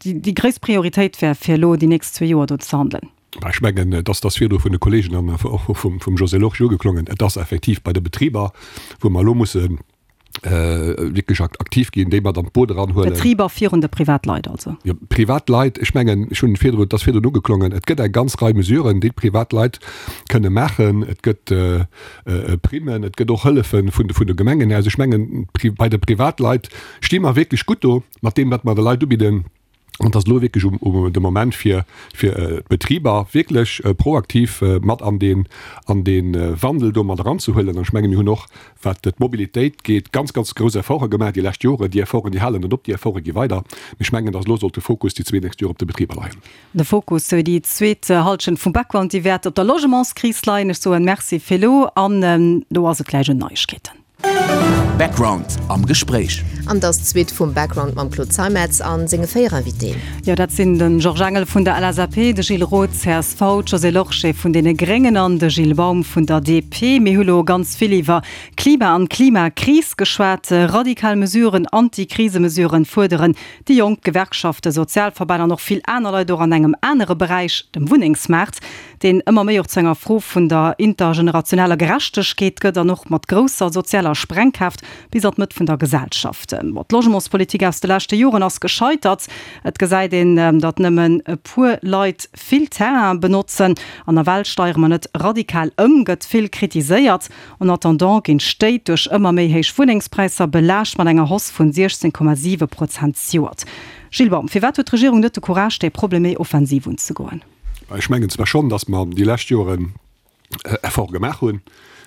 S3: déi gréisst Prioritéit wär, fir elo déi nächst zwee Joer do ze handelen?
S5: Ech mengen, et ass dass virdru vun de Kollegen an och vum Josée Lorsché ugeklongen, et ass effektiv bei de Betriber, wou mer elo musse wierklech aktiv ginn, déi mat an d'Boot eranhuelen.
S3: Betriber virun de Privatleit also?
S5: Jo, Privatleit, ech mengen, ech hunn virdrun, et ass virdrun ugeklongen, et gëtt eng ganz Rei Mesuren, déi d'Privatleit kënne maachen. Et gëtt Primmen, et gëtt och Hëllefe vun de, vun de Gemengen aus. Ech mengen, bei de Privatleit sti mer wierklech gutt do mat deem, wat mer de Leit ubidden. An et ass elo wierklech um de Moment fir fir d'Betriber wierklech proaktiv mat an deen an dee Wandel do mat eranzehuelen. An ech menge mir hunn och, wat d'Mobilitéit geet, ganz, ganz grouss Efforte gemaach déi lescht Joren. Déi Efforten, déi halen net op, déi Efforte gi weider. Mee ech mengen, datt elo sollt de Fokus déi zwee nächst Joer op de Betriber leien.
S3: De Fokus fir déi zweet Hallschent vum Background, déi wäert op der Logementskris leien. Ech soen Merci fir elo an elo ass et gläich un Neiegkeeten.
S1: Background am Gespréich.
S8: An et ass d'Suite vum Background mam Claude Zeimetz a senge véier Invitéen.
S3: Jo, dat sinn de Georges Engel vun der LSAP, de Gilles Roth, csv, d'Josée Lorsché vun deene Gréngen an de Gilles Baum vun der DP. Mir hu lo ganz vill iwwer Klima an Klimakris geschwat. Radikal Mesuren, Anti-Krise-Mesuren fuerderen déi Jonk, d'Gewerkschaften, Sozialverbänn an och vill aner Leit, och an engem anere Beräich, dem Wunnengsmaart, deen ëmmer méi och zu enger Fro vun der intergenerationeller Gerechtegkeet gëtt an och mat grousser sozialer Sprengkraaft bis an d'Mëtt vun der Gesellschaft. Bon, d'Logementspolitik aus de leschte Joren ass gescheitert. Et gesäit een, datt nëmmen e puer Leit vill Terrain benotzen. An nawell steiere mer net radikal ëm, gëtt vill kritiséiert. En attendant ginn d'Stéit duerch ëmmer méi héich Wunnengspräisser belaascht mat enger Hausse vun siechzéng Komma siwe Prozent zejoert. Gilles Baum, firwat huet d'Regierung net de Courage, dee Problem méi offensiv unzegoen?
S5: Ech mengen zwar schonn, datt mer déi lescht Joren Efforte gemaach hunn.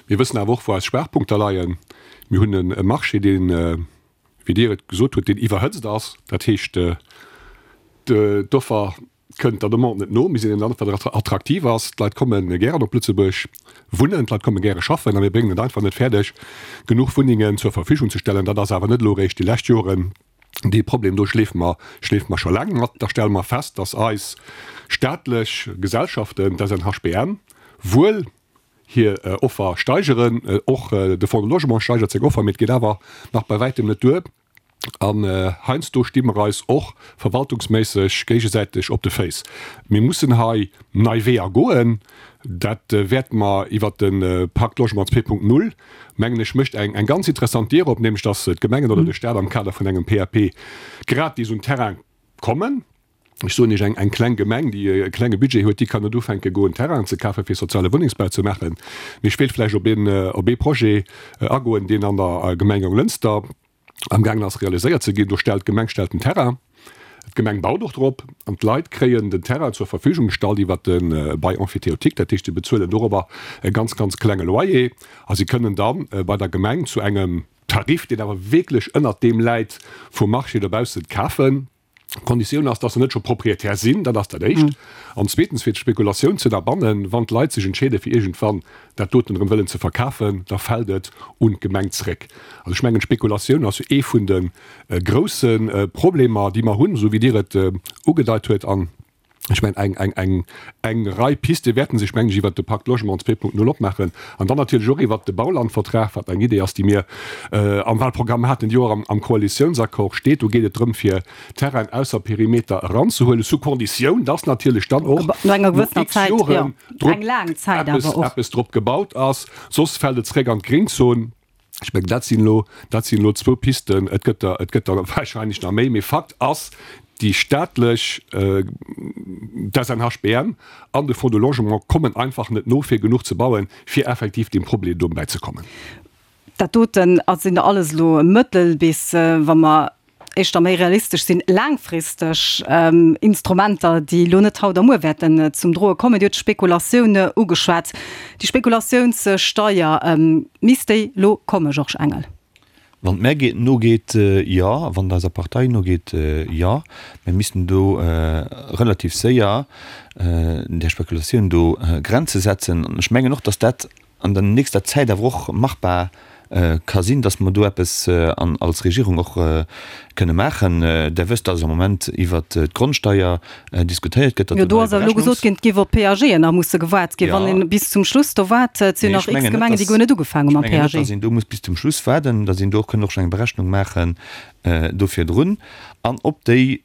S5: Mir wëssen awer och, wou eis Schwaachpunkter leien. Mir hunn e Marché, deen, wéi Dir et gesot hutt, deen iwwerhëtzt ass. Dat heescht, d'Offer kënnt der Demande net no. Mir sinn en Land, wat attraktiv ass. D'Leit komme gären op Lëtzebuerg wunnen, d'Leit komme gäre schaffen a mir bréngen et einfach net fäerdeg, genuch Wunnengen zur Verfügung ze stellen. Dat ass awer net elo eréischt déi lescht Joren dee Problem. Do schleefe mer, schleefe mer scho laang mat. Da stelle mer fest, dass eis staatlech Gesellschaften, d'SNHBM, wuel hir Offer steigeren, och de Fonds de Logement steigert seng Offer, mee et geet awer nach bei wäitem net duer. An heiansdo sti mer eis och verwaltungsméisseg géigesäiteg op de Féiss. Mir mussen hei nei Weeër goen. Dat wäerte mer iwwert de Pacte Logement zwee Punkt null, mengen ech, mécht eng ganz interessant Dier op, nämlech datt d'Gemengen oder de Stat am Kader vun engem PAP gratis un Terrain kommen. Ech soen Iech, eng kleng Gemeng, déi e klenge Budget huet, déi kann net ufänke goen, Terrainen ze kafen, fir soziale Wunnengsbau ze maachen. Mee ech wéilt vläicht op een, op ee Projet agoen, deen an der Gemeng Jonglënster amgaangen ass realiséiert ze ginn. Do stellt d'Gemeng stellt den Terrain, d'Gemeng baut och drop an d'Leit kréien den Terrain zur Verfügung gestallt iwwert de Bail emphytéotique. Dat heescht, si bezuelen dorobber e ganz, ganz klenge Loyer a si kënnen da bei der Gemeng zu engem Tarif, deen awer wierklech ënnert deem läit vum Marché dobaussen, kafen. D'Konditioun ass, dass se net scho Propriétaire sinn, dat ass dat Éischt. An zweetens, fir d'Spekulatioun ze ënnerbannen, wann d'Leit sech entscheeden, fir iergendwann dat doten erëm wëllen ze verkafen, da fält et un d'Gemeng zréck. Also ech mengen, d'Spekulatioun ass jo ee vun de grousse Problemer, déi mer hunn, esou wéi Dir et ugedeit huet. An ech mengen, eng, eng, eng, eng Rei Piste wäerten sech, mengen ech, iwwert de Pacte Logement zwee Punkt null opmaachen an dann natierlech och iwwert de Baulandvertrag, wat eng Idee ass, déi mir am Wahlprogramm haten, déi och am, am Koalitiounsaccord steet. Do geet et drëm, fir Terrainen ausser Perimeter eranzehuelen, sous Konditioun, dass natierlech dann och
S3: No enger gewëssener
S5: no x
S3: Zäit, jo,
S5: Joren drop
S3: eng laang Zäit
S5: eppes,
S3: awer och.
S5: eppes drop gebaut ass, soss fält et zréck an d'Gringzon. Ech mengen, dat sinn elo, dat sinn elo zwou Pisten. Et gëtt der, et gëtt der wahrscheinlech nach méi. Mee Fakt ass, déi staatlech, d'SNHBM an de Fonds de Logement kommen einfach net no, fir genuch ze bauen, fir effektiv deem Problem do bäizekommen.
S3: Dat doten sinn alles elo mëttel bis, wa mer éischter méi realistesch sinn, laangfristeg Instrumenter, déi elo net haut a muer wäerten zum Droe kommen. Dir hutt d'Spekulatioun ugeschwat. Déi Spekulatiounssteier, misst déi elo kommen, Georges Engel?
S4: Wann et mär geet, nogeet, jo. Wann et eiser Partei nogeet, jo. Mir missten do relativ séier där Spekulatioun do Grenze setzen. An ech mengen och, datt dat an der nächster Zäit awer och machbar ka sinn, datt mer do eppes als Regierung och kënne maachen. Der wësst, datt am Moment iwwert d'Grondsteier diskutéiert gëtt, datt
S3: Jo, do ass awer elo gesot ginn, et géif op d'PAGen nach musse gewaart ginn. Wann ee bis zum Schluss do waart, et sinn nach x Gemengen, déi guer net ugefaangen hu mam
S4: Ech mengen net,
S3: PAG.
S4: datt een do muss bis zum Schluss waarden, datt een do och kënn och schon eng Berechnung maachen do virdrun. An op déi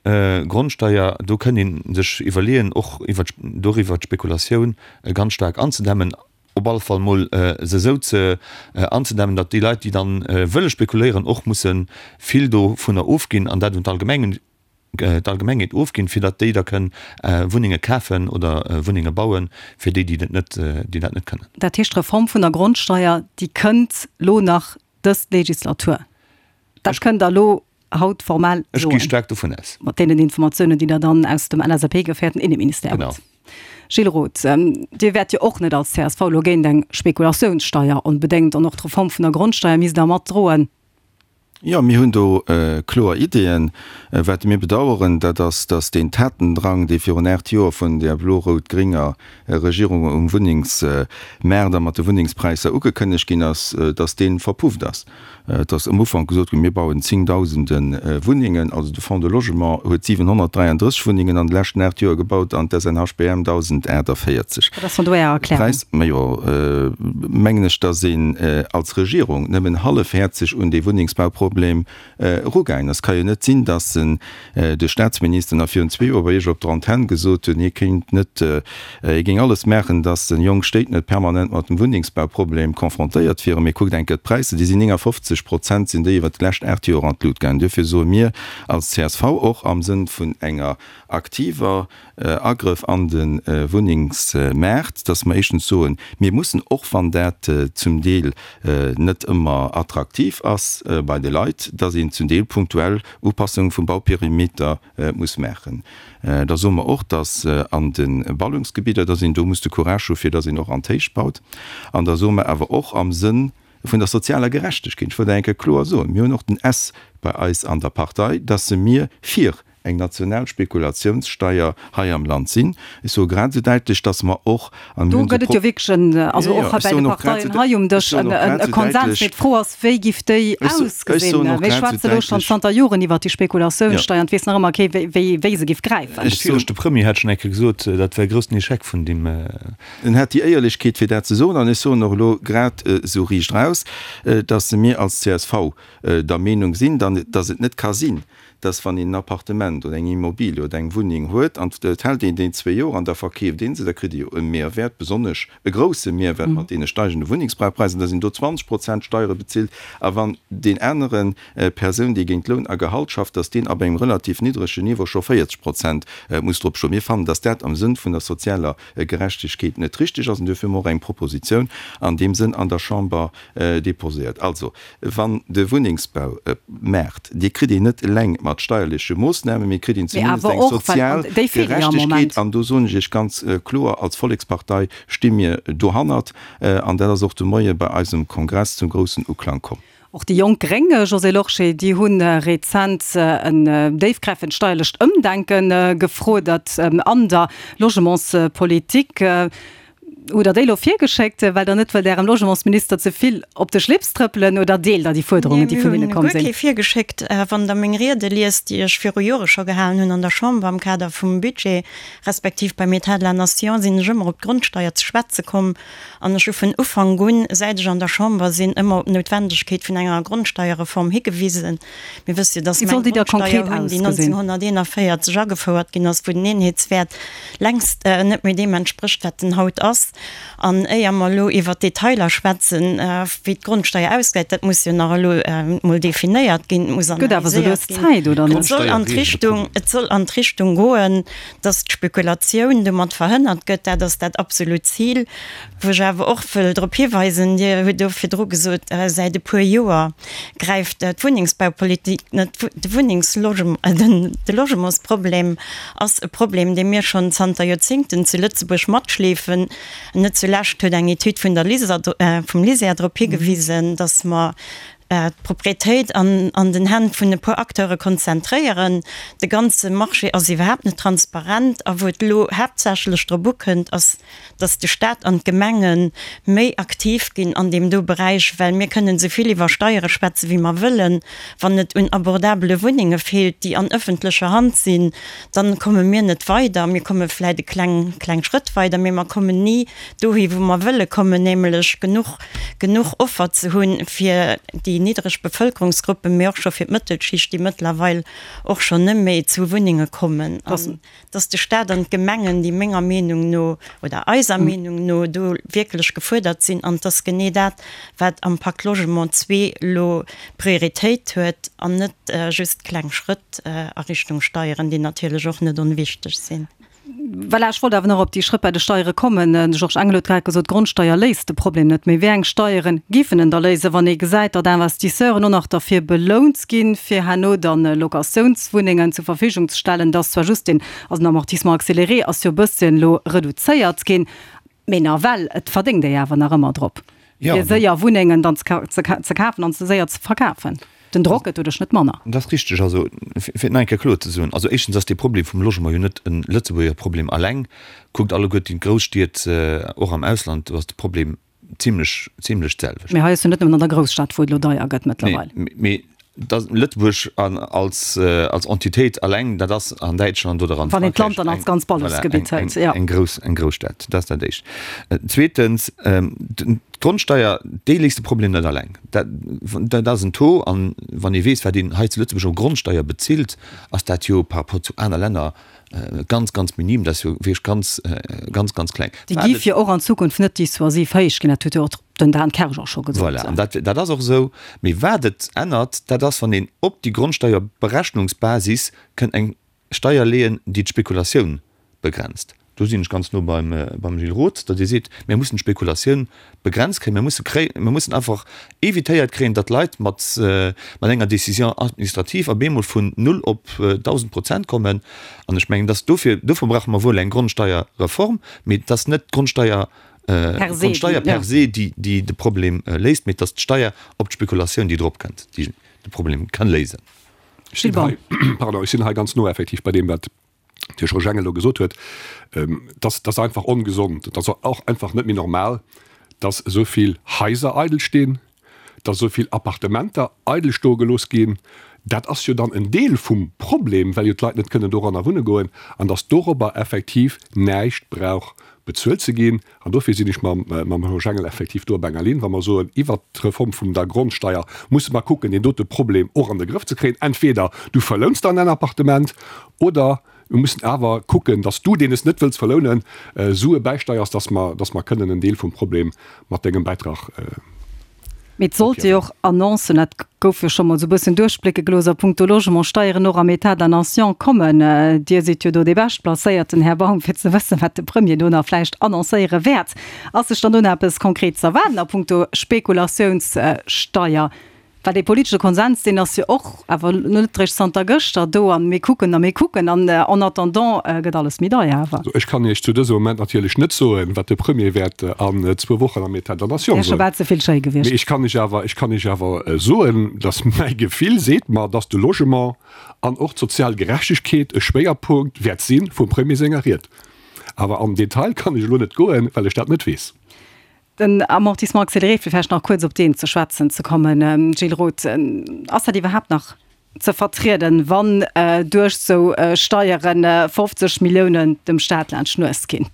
S4: Grondsteier, do kënn ee sech iwwerleeën, och iwwert doriwwer d'Spekulatioun ganz staark anzedämmen. op alle Fall mol se esou ze anzedämmen, datt déi Leit, déi dann wëlle spekuléieren, och musse vill dovunner ofginn an dat un d'Allgemeng, d'Allgemengheet ofginn, fir datt déi da kënn Wunnenge kafen oder Wunnenge bauen, fir déi, déi dat net, déi dat net kënnen.
S3: Dat heescht, d'Reform vun der Grondsteier, déi kënnt lo nach dës Legislatur? Dat kënnt Der elo haut formell
S4: Ech
S3: soen?
S4: gi staark dovun aus.
S3: Mat deenen Informatiounen, déi Der dann aus dem LSAP-geféierten Inneministère
S4: Genau.
S3: hutt. Gilles Roth, Dir wäert jo och net als csv elo géint eng Spekulatiounssteier onbedéngt, an och d'Reform vun der Grondsteier misst Der matdroen.
S6: Jo, mir hunn do kloer Ideeën. Wat mir bedauern, dat ass, dass deen Tatendrang, dee virun aacht Joer vun där blo-rout-gringer Regierung um Wunnengsmaart a mat de Wunnengspräisser ugekënnegt ginn ass, dass dee verpufft ass. Et ass um Ufank gesot ginn, mir bauen zéngdausende Wunnengen. Also de Fonds de Logement huet siwenhonnertdräiandrësseg Wunnengen an de leschten aacht Joer gebaut an d'SNHBM dausendaachtaviertzeg.
S3: Wat ass dann do Är Erklärung?
S6: Präis, majo, mengen ech, dass een als Regierung nëmmen hallefhäerzeg un dee Wunnengsbauproblem erugaangen ass. Et ka jo net sinn, dass de Staatsminister nach virun zwee Joer bei Iech op der Antenn gesot huet, hie kéint net, hie géing alles maachen, dass jonk Stéit net permanent mat dem Wunnengsbauproblem confrontéiert wieren. Mee kuckt eng Kéier d'Präisser, déi sinn néngafofzeg Prozent sinn déi iwwert déi lescht aacht Joer an d'Lut gaangen. Duerfir soe mir als csv och am Sënn vun enger aktiver Agrëff an de Wunnengsmaart, dass mer éischtens soen, mir mussen, och wann dat zum Deel net ëmmer attraktiv ass bei de Leit, dass een zum Deel punktuell Upassunge vum Bauperimeter muss maachen. Da soe mer och, dass an de Ballungsgebidder, dass een do muss de Courage hu fir dass een och an d'Héicht baut. An da soe mer awer och am Sënn vun der sozialer Gerechtegkeet, ech wëll dat eng Kéier kloer soen, mir hunn och den S bei eis an der Partei, dass se mir fir eng national Spekulatiounssteier hei am Land sinn. Ech soe grad esou däitlech, dass mer och,
S3: an mir
S6: hunn
S3: Do
S6: se
S3: gëtt et jo wierklech en, also och hei bei de Parteien hei um Dësch, e Konsens. Mee d'Fro ass, wéi giff déi ausgesinn? Mir schwätze elo schonn zanter Joren iwwert déi Spekulatiounssteier an et weess nach ëmmer kee wéi se giff gräifen.
S4: De viregte Premier hat schonn eng Kéier gesot, dat wär e groussen Echec vun deem.
S6: En hat déi Éierlechkeet fir dat ze soen an ech soen och elo grad esou riicht raus, dass mir als csv der Meenung sinn, dass et net ka sinn, dass wann een en Appartement oder eng Immobilie oder eng Wunneng huet an et hält een déi zwee Joer an da verkeeft ee se, da kritt ee jo e Mehrwert, besonnesch e grouse Mehrwert mat deene steigende Wunnengsbrauchpräisser, dass een do zwanzeg Prozent Steiere bezilt a wann deen anere Persoun, déi géint Loun a Gehalt schafft, dass deen ab engem relativ niddregen Niveau scho véierzeg Prozent muss drop stoen. Mir fannen, dass dat am Sënn vun der sozialer Gerechtegkeet net richtig ass an duerfir hu mer och eng Propositioun an deem Sënn an der Chamber déposéiert. Also, wann de Wunnengsbaumaart, dee kritt een net eleng mat steierleche Moossnamen, mee kritt een zumindest eng sozial Gerechtegkeet. An do soen ech Iech ganz kloer, als Vollekspartei sti mir dohannert. An dat ass och de Moie bei eisem Kongress zum groussen Uklang komm.
S3: Och déi jonk Gréng, Josée Lorsché, déi hu rezent en déifgräifend steierlecht Ëmdenke gefruerdert an der Logementspolitik. Hutt Der déi elo virgeschéckt, well Der net wëllt Ärem Logementsminister ze vill op de Schlips trëppelen, oder deelt Der déi Fuerderungen, déi vun hinne komm
S7: sinn? Mir hunn guer kee virgeschéckt. Wann Der meng Riede liest, déi ech viru Jore scho gehalen hunn an der Chamber am Kader vum Budget, respektiv beim État de la Nation, sinn ech ëmmer op d'Grondsteier ze schwätze komm. An ech hu vun Ufank un, säit ech an der Chamber sinn, ëmmer op d'Noutwendegkeet vun enger Grondsteierreform higewisen. Mir wësse jo, dass
S3: Wéi
S7: mer
S3: soll
S7: eng
S3: déi da konkret
S7: Grondsteier hunn, déi
S3: ausgesinn?
S7: neunzehnhunderteenundvierzig agefouert ginn ass, wou den Eenheetswäert längst net méi deem entsprécht, wat en haut ass. An éier mer elo iwwert d'Detailer schwätzen, wéi d'Grondsteier ausgesäit, dat muss jo nach elo emol definéiert ginn, et muss
S3: Gëtt awer esou
S7: analyséiert
S3: lues
S7: ginn,
S3: Zäit, oder
S7: et
S3: net?
S7: soll an d'Richtung, et soll an d'Richtung goen, dass d'Spekulatioun domat verhënnert gëtt. Dat ass dat absolut Zil. Wou ech awer och wëll drop hiweisen, Dir hutt do virdru gesot, säit e puer Joer gräift d'Wunnengsbaupolitik net. De Wunnengslogement, de Logementsproblem ass e Problem, dee mir schonn zanter Joerzéngten zu Lëtzebuerg matschleefen. Net zulescht huet eng Etüd vun der LISER, vum LISER drop higewisen, datt mer d'Proprietéit an den Hänn vun e puer Acteure konzentréieren. De ganze Marché ass iwwerhaapt net transparent. A wou et elo haaptsächlech drop ukënnt, ass, datt de Staat an d'Gemenge méi aktiv ginn an deem do Beräich, well mir kënnen esou vill iwwer Steiere schwätze wéi mer wëllen, wann et un abordabele Wunnenge feelt, déi an ëffentlecher Hand sinn, dann komme mir net weider. Mir komme vläicht e kleng, kleng Schrëtt weider, mee mer kommen ni dohi wou mer wëlle kommen, nämlech genuch, genuch Offer ze hunn fir déi niddreg Bevëlkerungsgruppen, mee och scho fir d'Mëttelschicht, déi mëttlerweil och schonn net méi zu Wunnenge kommen. An dass de Stat an d'Gemengen, déi menger Meenung no oder eiser Meenung no do wierklech gefuerdert sinn. An et ass genee dat, wat am Pacte Logement zwee elo Prioritéit huet an net just kleng Schrëtt a Richtung Steieren, déi natierlech och net onwichteg sinn.
S3: Voilà, ech wollt awer nach op déi Schrëtt bei de Steiere kommen. De Georges Engel huet grad gesot, d'Grondsteier léist de Problem net. Mee wéi eng Steiere giffen en da léisen, wann ee gesäit, datt Investisseuren och nach derfir belount ginn, fir herno dann Locatiounswunnengen zur Verfügung ze stellen? Dat ass zwar just deen, also den Amortissement accéléré ass jo e bësschen elo reduzéiert ginn, mee nawell, et verdéngt ee jo awer nach ëmmer drop, fir séier Wunnengen dann ze kafen an se séier ze verkafen. Den Drock gëtt doduerch net manner.
S4: Dat ass richteg. Also, fir et nach eng Kéier kloer ze soen, also éischtens ass dee Problem vum Logement jo net e Lëtzebuerger Problem alleng. Kuckt alleguerten d'Grousstied och am Ausland, do ass de Problem zimlech, zimlech d'selwecht.
S3: Mee hei ass jo net nëmmen an der Grousstad, wou et elo deier gëtt mëttlerweil.
S4: Nee, mee dass Lëtzebuerg als, als Entitéit alleng, dat ass an Däitschland oder an
S3: Wann een d'Land dann als ganz Ballungsgebitt hëlt, jo.
S4: Eng grouss, eng Grousstad. Dat ass dat Éischt. Zweetens, d'Grondsteier, déi léist de Problem net alleng. Dat, dat ass en Taux, an wann ee weess, wat een hei zu Lëtzebuerg u Grondsteier bezilt, ass dat jo par rapport zu aner Länner ganz, ganz minim. Dat ass jo wierklech ganz, ganz, ganz kleng.
S3: Déi géif jo och an Zukunft net dissuasiv héich ginn, dat huet jo och den Dan Kersch och scho gesot.
S4: Voilà, an dat, dat ass och esou. Mee wat et ännert, dat ass, wann een op déi Grondsteierberechnungsbasis kënnt eng Steier leeën, déi d'Spekulatioun begrenzt. Do sinn ech ganz no beim, beim Gilles Roth, datt ee seet, mir mussen d'Spekulatioun begrenzt kréien, mir musse kréien, mir mussen einfach évitéiert kréien, datt Leit mat, mat enger Décision administrative op eemol vun null op dausend Prozent kommen. An ech mengen, datt dofir, dofir brauche mer wuel eng Grondsteierreform, mee et ass net d'Grondsteier d'Grondsteier per se, déi, déi de Problem léist, mee et ass d'Steier op d'Spekulatioun, déi drop kënnt, déi de Problem kann léisen.
S5: Ech sinn hei, pardon, ech sinn hei ganz no effektiv bei deem, wat de Georges Engel elo gesot huet, dass ass einfach ongesond, et ass och einfach net méi normal, dass esou vill Haiser eidel stinn, dass esou vill Appartementer eidel stoe gelooss ginn. Dat ass jo dann en Deel vum Problem, well jo d'Leit net kënnen doranner wunne goen an dass dorobber effektiv näischt brauch bezuelt ze ginn. An dofir sinn ech mam Georges Engel effektiv do op enger Linn, wa mer soen, iwwert d'Reform vum der Grondsteier musse mer kucken, deen dote Problem och an de Grëff ze kréien. Entweder du verlouns dann en Appartement oder mir mussen awer kucken, dass du, deen es net wëlls verlounen, Sue bäisteiers, dass mer, dass mer kënnen en Deel vum Problem mat dengem Bäitrag
S3: Mee et sollte jo och Annoncen, dat gouf jo scho mol esou e bëssen duerchblécke gelooss, a puncto Logementssteieren och am État de la nation kommen. Dir sidd jo do dee Beschtplacéierten, Här Baum, fir ze wëssen, wat de Premier do nach vläicht annoncéiere wäert. Ass sech dann do nach eppes konkret ze erwaarden a puncto Spekulatiounssteier? Well dee politesche Konsens, deen ass jo och awer net eréischt zanter gëschter do an mir kucken a mir kucken an en attendant gëtt alles méi deier awer.
S5: Also ech kann Iech zu dësem Moment natierlech net soen, wat de Premier wäert an zwou Wochen am État de la Nation soen.
S3: Wär scho bal ze vill schéi gewiescht.
S5: Mee ech kann Iech awer, ech kann Iech awer soen, datt mäi Gefill seet mer, datt de Logement an och d'sozial Gerechtegkeet e Schwéierpunkt wäert si vum Premier senger Ried. Awer an den Detail kann ech elo net goen, well ech dat net weess.
S3: Den Amortissement accéléré, fir vläicht nach kuerz op deen ze schwätzen ze kommen, Gilles Roth, ass dat iwwerhaapt nach ze vertrieden, wann duerch esou Steiere fofzeg Milliounen dem Staat laanscht d'Nues ginn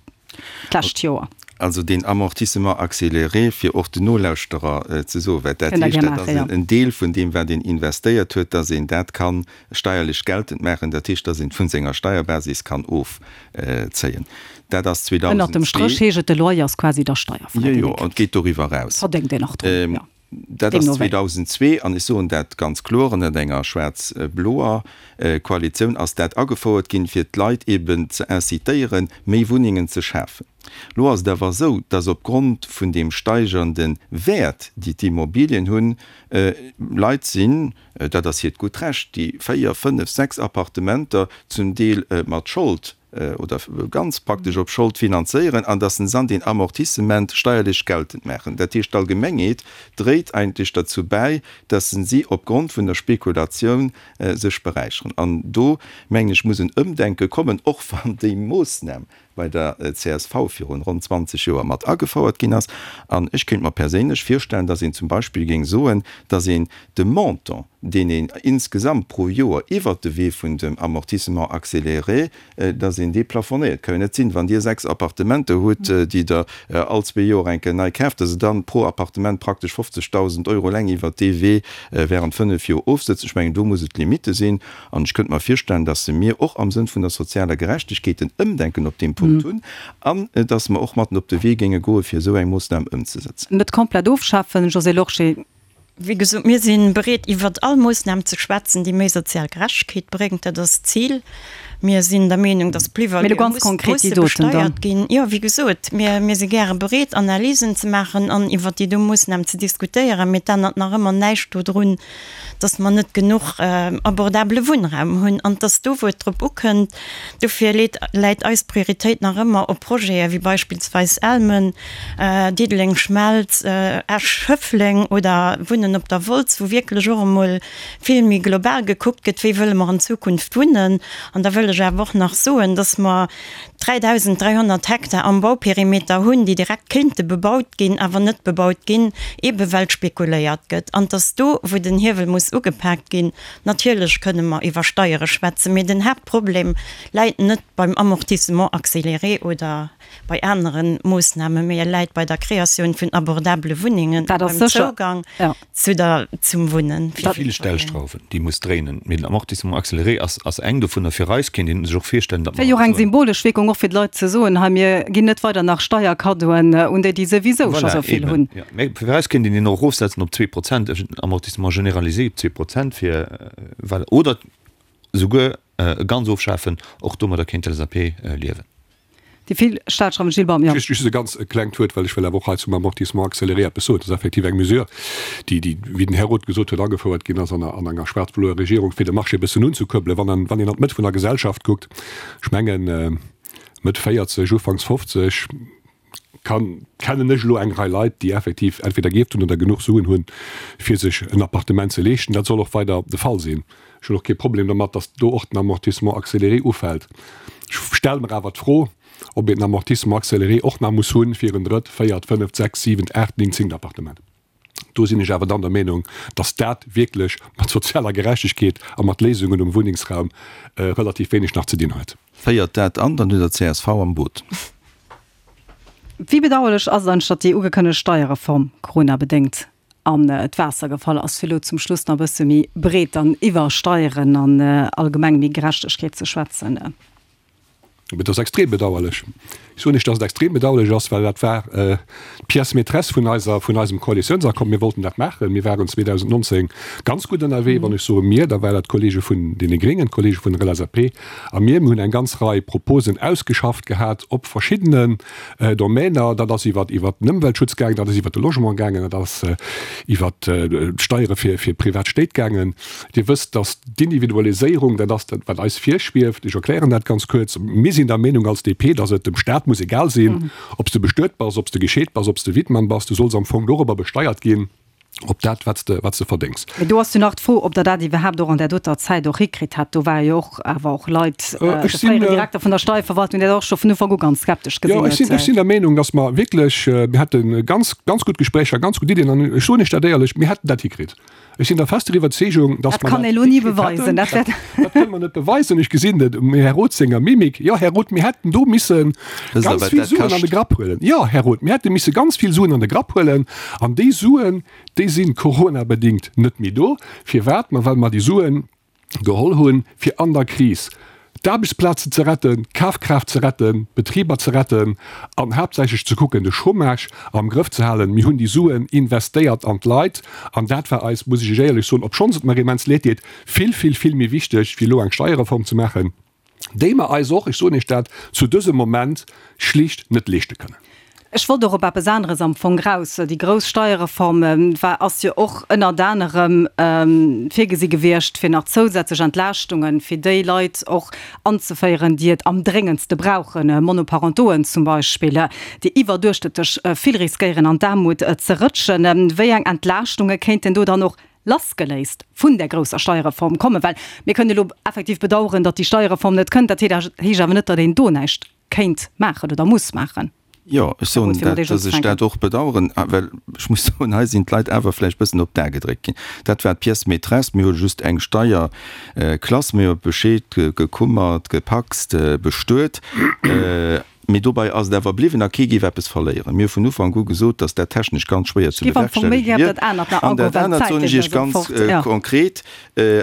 S3: d'lescht Joer?
S6: Also deen Amortissement accéléré, fir och den Nolauschterer ze soen, wat dat heescht, dat ass en Deel vun deem, wat een investéiert huet, dass een dat ka steierlech geltend maachen, dat heescht, dass een et vun senger Steierbasis kann ofzéien. Dat ass
S3: zweetausendzwee. Ënnert dem Stréch heescht et, de Loyer ass quasi da steierfräi.
S6: Jo, jo, an et geet doriwwer eraus.
S3: Verdéngt een nach drun, jo.
S6: Dat ass zweetausendzwee, an ech soen dat ganz kloer, ënnert enger schwaarz-bloer Koalitioun ass dat agefouert ginn, fir d'Leit eben ze incitéieren, méi Wunnengen ze schafen. Elo ass et awer esou, dass opgrond vun deem steigernde Wäert, déi d'Immobilien hunn, Leit sinn, dat ass hiert gutt Recht, déi véier, fënnef, sechs Appartementer zum Deel mat Schold oder ganz praktesch op Schold finanzéieren an dass se dann deen Amortissement steierlech geltend maachen. Dat heescht, d'Allgemengheet dréit eigentlech derzou bäi, dass si opgrond vun der Spekulatioun sech beräicheren. An do, mengen ech, muss en Ëmdenke kommen, och wann déi Moossnam bei der csv virun ronn zwanzeg Joer mat agefouert ginn ass. An ech kéint mer perséinlech virstellen, dass een zum Beispill géing soen, dass een de Montant, deen een insgesamt pro Joer iwwert de Wee vun dem Amortissement accéléré, dass een dee plafonnéiert. Ka jo net sinn, wann Dir sechs Appartementer hutt, déi Der all zwee Joer eng Kéier nei kaaft, dass Der dann pro Appartement praktesch fofzegdausend Euro eleng iwwert dee Wee während fënnef Joer ofsëtzt. Ech mengen, do muss et Limitte sinn. An ech könnte mer virstellen, dass se mir och am Sënn vun der sozialer Gerechtegkeet en Ëmdenken op deem Punkt hunn an dass mer och matten op de Wee géinge goen, fir esou eng Moossnam ëmzesetzen.
S3: Net komplett ofschafen, Josée Lorsché.
S7: Wéi gesot, mir si bereet, iwwert all Moossnam ze schwätzen, déi méi sozial Gerechtegkeet bréngt. Dat ass d'Zil. Mir sinn der Meenung, dass
S3: D'Plus-valuë
S7: musse besteiert ginn. Jo, wéi gesot, mir, mir si gäre bereet, Analysen ze maachen an iwwert déi do Moossnam ze diskutéieren. Mee et ännert nach ëmmer näischt dodrun, dass mer net genuch abordabele Wunnraum hunn an dass do, wou et drop ukënnt, dofir leet, läit eis Prioritéit nach ëmmer op Projete wéi beispillsweis Elmen, Diddeleng Schmelz, Esch Schëffleng oder Wunnen Wunnen op der Wolz, wou wierklech och emol vill méi global gekuckt gëtt, wéi wëlle mer an Zukunft wunnen. An da wëll ech awer och nach soen, dass mer dräidausend dräihonnert Hektar am Bauperimeter hunn, déi direkt kéinte bebaut ginn, awer net bebaut ginn, eebe well spekuléiert gëtt. An et ass do, wou den Hiewel muss ugepaakt ginn. Natierlech kënne mer iwwer Steiere schwätzen, mee den Haaptproblem läit net beim Amortissement accéléré oder bei anere Moossnamen, mee e läit bei der Kreatioun vun abordabele Wunnengen a beim Zougang zu der, zum Wunnen
S4: fir jiddwereen. Vill Stellschrauwen, déi muss dréinen, mee den Amortissement accéléré ass, ass eng dovunner. Fir eis kéint ee sech och virstellen, datt
S3: mer. Wär jo och eng symbolesch Wierkung, och fir d'Leit ze soen, hei mir ginn net weider nach Steierkaddoen un déi, déi souwisou scho
S4: Voilà,
S3: sou vill
S4: eben,
S3: hunn.
S4: jo. Mä fir eis kéint een deen och erofsetzen op zwee Prozent, Amortissement généralisé op zwee Prozent fir, well, oder souguer e ganz ofschafen, och domadder kéint d'LSAP liewen.
S3: Déi vill Staatsschreiwen, Gilles Baum, jo.
S5: Just just e ganz klengt Wuert, well ech wëll awer och hei zum Amortissement accéléré eppes soen. Dat ass effektiv eng Mesure, déi, déi, wéi den Här Roth gesot huet, agefouert ginn ass an an enger schwaarz-bloer Regierung, fir de Marché e bëssen unzekuerbelen. Wann an, wann een an d'Mëtt vun der Gesellschaft kuckt, ech mengen, Mëtt véierzeg, ufanks fofzeg, kann, kennen ech elo eng Rei Leit, déi effektiv entweder gierft hunn oder genuch Suen hunn, fir sech en Appartement ze leeschten. Dat soll och weider de Fall sinn. Ech hunn och kee Problem dermat, datt do och den Amortissement accéléré ufält. Ech stelle mer awer d'Fro, ob een den Amortissement accéléré och nach muss hunn fir en drëtt, véiert, fënneft, sechst, siwent, aacht, néngt, zéngt Appartement. Do sinn ech awer dann der Meenung, datt dat wierklech mat sozialer Gerechtegkeet a mat Léisungen um Wunnengsraum relativ wéineg nach ze dinn huet.
S6: Féiert dat an, dann hutt Der d'CSV am Boot.
S3: Wéi bedauerlech ass et eigentlech, datt déi ugekënnegt Steierreform coronabedéngt an d'Waasser gefall ass? Fir elo zum Schluss nach e bësse méi breet dann iwwer Steieren an allgemeng méi Gerechtegkeet ze schwätzen.
S5: Et ass extrem bedauerlech. Ech soen lech, dass et extrem bedauerlech ass, well dat war d'Pièce maîtresse vun eiser, vun eisem Koalitiounsaccord. Mir wollten dat maachen. Mir waren zweedausendnonzéng ganz gutt ënnerwee. Wann ech soe mir, da war dat d'Kollege vun deene Gréngen, d'Kollege vun der L S A P a mir. Mir hunn eng ganz Rei Proposen ausgeschafft gehat op verschiddenen Domainer. Dat ass iwwer, iwwert den Ëmweltschutz gaangen, dat ass iwwert de Logement gaangen, dat ass iwwert d'Steiere fir, fir privat Stéit gaangen. Dir wësst, dass d'Individualiséierung, dat ass dat, wat eis virschwieft. Ech erklären dat ganz kuerz. Mir sinn der Meenung als D P, dass et dem Staat muss egal sinn, ob s de bestuet bass, ob s de gescheet bass, ob s de Wittmann bass. Du solls am Fong dorobber besteiert ginn, op dat, wat s de, wat s de verdéngs.
S3: Mee do ass jo nach d'Fro, ob Der dat iwwerhaapt och an där doter Zäit och hikritt hätt. Do ware jo och awer och Leit, de fréieren Direkter vun der Steierverwaltung, dee dat och scho vun Ufank u ganz skeptesch gesinn
S5: huet. Jo, ech sinn, ech sinn der Meenung, dass mer wierklech, mir hate ganz, ganz gutt Gespréicher, ganz gutt Iddien an ech soen Iech dat éierlech, mir hätten dat hikritt. Ech sinn der fester Iwwerzeegung, dass
S3: mer dat hikritt hätten.
S5: Dat kënne mer net beweisen. Ech gesinn et um Här Roth senger Mimik. Jo, Här Roth, mir hätten do misse ganz vill Suen an de Grapp huelen. Jo, Här Roth, mir hätte misse ganz vill Suen an de Grapp huelen. An déi Suen, déi si coronabedéngt net méi do. Firwat? Ma well mer déi Suen geholl hunn, fir an der Kris d'Aarbechtsplazen ze retten, d'Kafkraaft ze retten, d'Betriber ze retten an haaptsächlech ze kucken, de Chômage am Grëff ze halen. Mir hunn déi Suen investéiert an d'Leit an dat war eis, muss ech Iech éierlech soen, obschonns et mer immens leed deet, vill, vill, vill méi wichteg, wéi elo eng Steierreform ze maachen, déi mer eis och, ech soen Iech dat, zu dësem Moment schlicht net leeschte kënnen.
S3: Ech wollt och op eppes aneres am Fong raus. Déi grouss Steierreform war, ass jo och ënnert anerem virgesi gewiescht, fir nach zousätzlech Entlaaschtunge fir déi Leit och anzeféieren, déi et am dréngendste brauchen, Monoparentoen zum Beispill, déi iwwerduerchschnëttlech vill riskéieren an d'Aarmut ze rëtschen. Wéi eng Entlaaschtunge kéinten do dann och lassgeléist vun där grousser Steierreform kommen? Well mir kënnen elo effektiv bedauern, datt déi Steierreform net kënnt. Dat heescht awer net, datt een do näischt kéint maachen oder muss maachen.
S6: Jo, ech soen dat, dass ech dat och bedauern, well ech muss soen, hei sinn d'Leit awer vläicht e bëssen op d'A gedréckt ginn. Dat war d'Pièce maîtresse. Mir hu just eng Steierklass, mir hu bescheet, gekummert, gepacst, bestuet. Mee dobei ass et awer bliwwen a kee géif eppes verléieren. Mir hu vun Ufank u gesot, dass dat technesch ganz schwéier ze bewerkstellige wier. An dat anert soen ech Iech ganz konkret,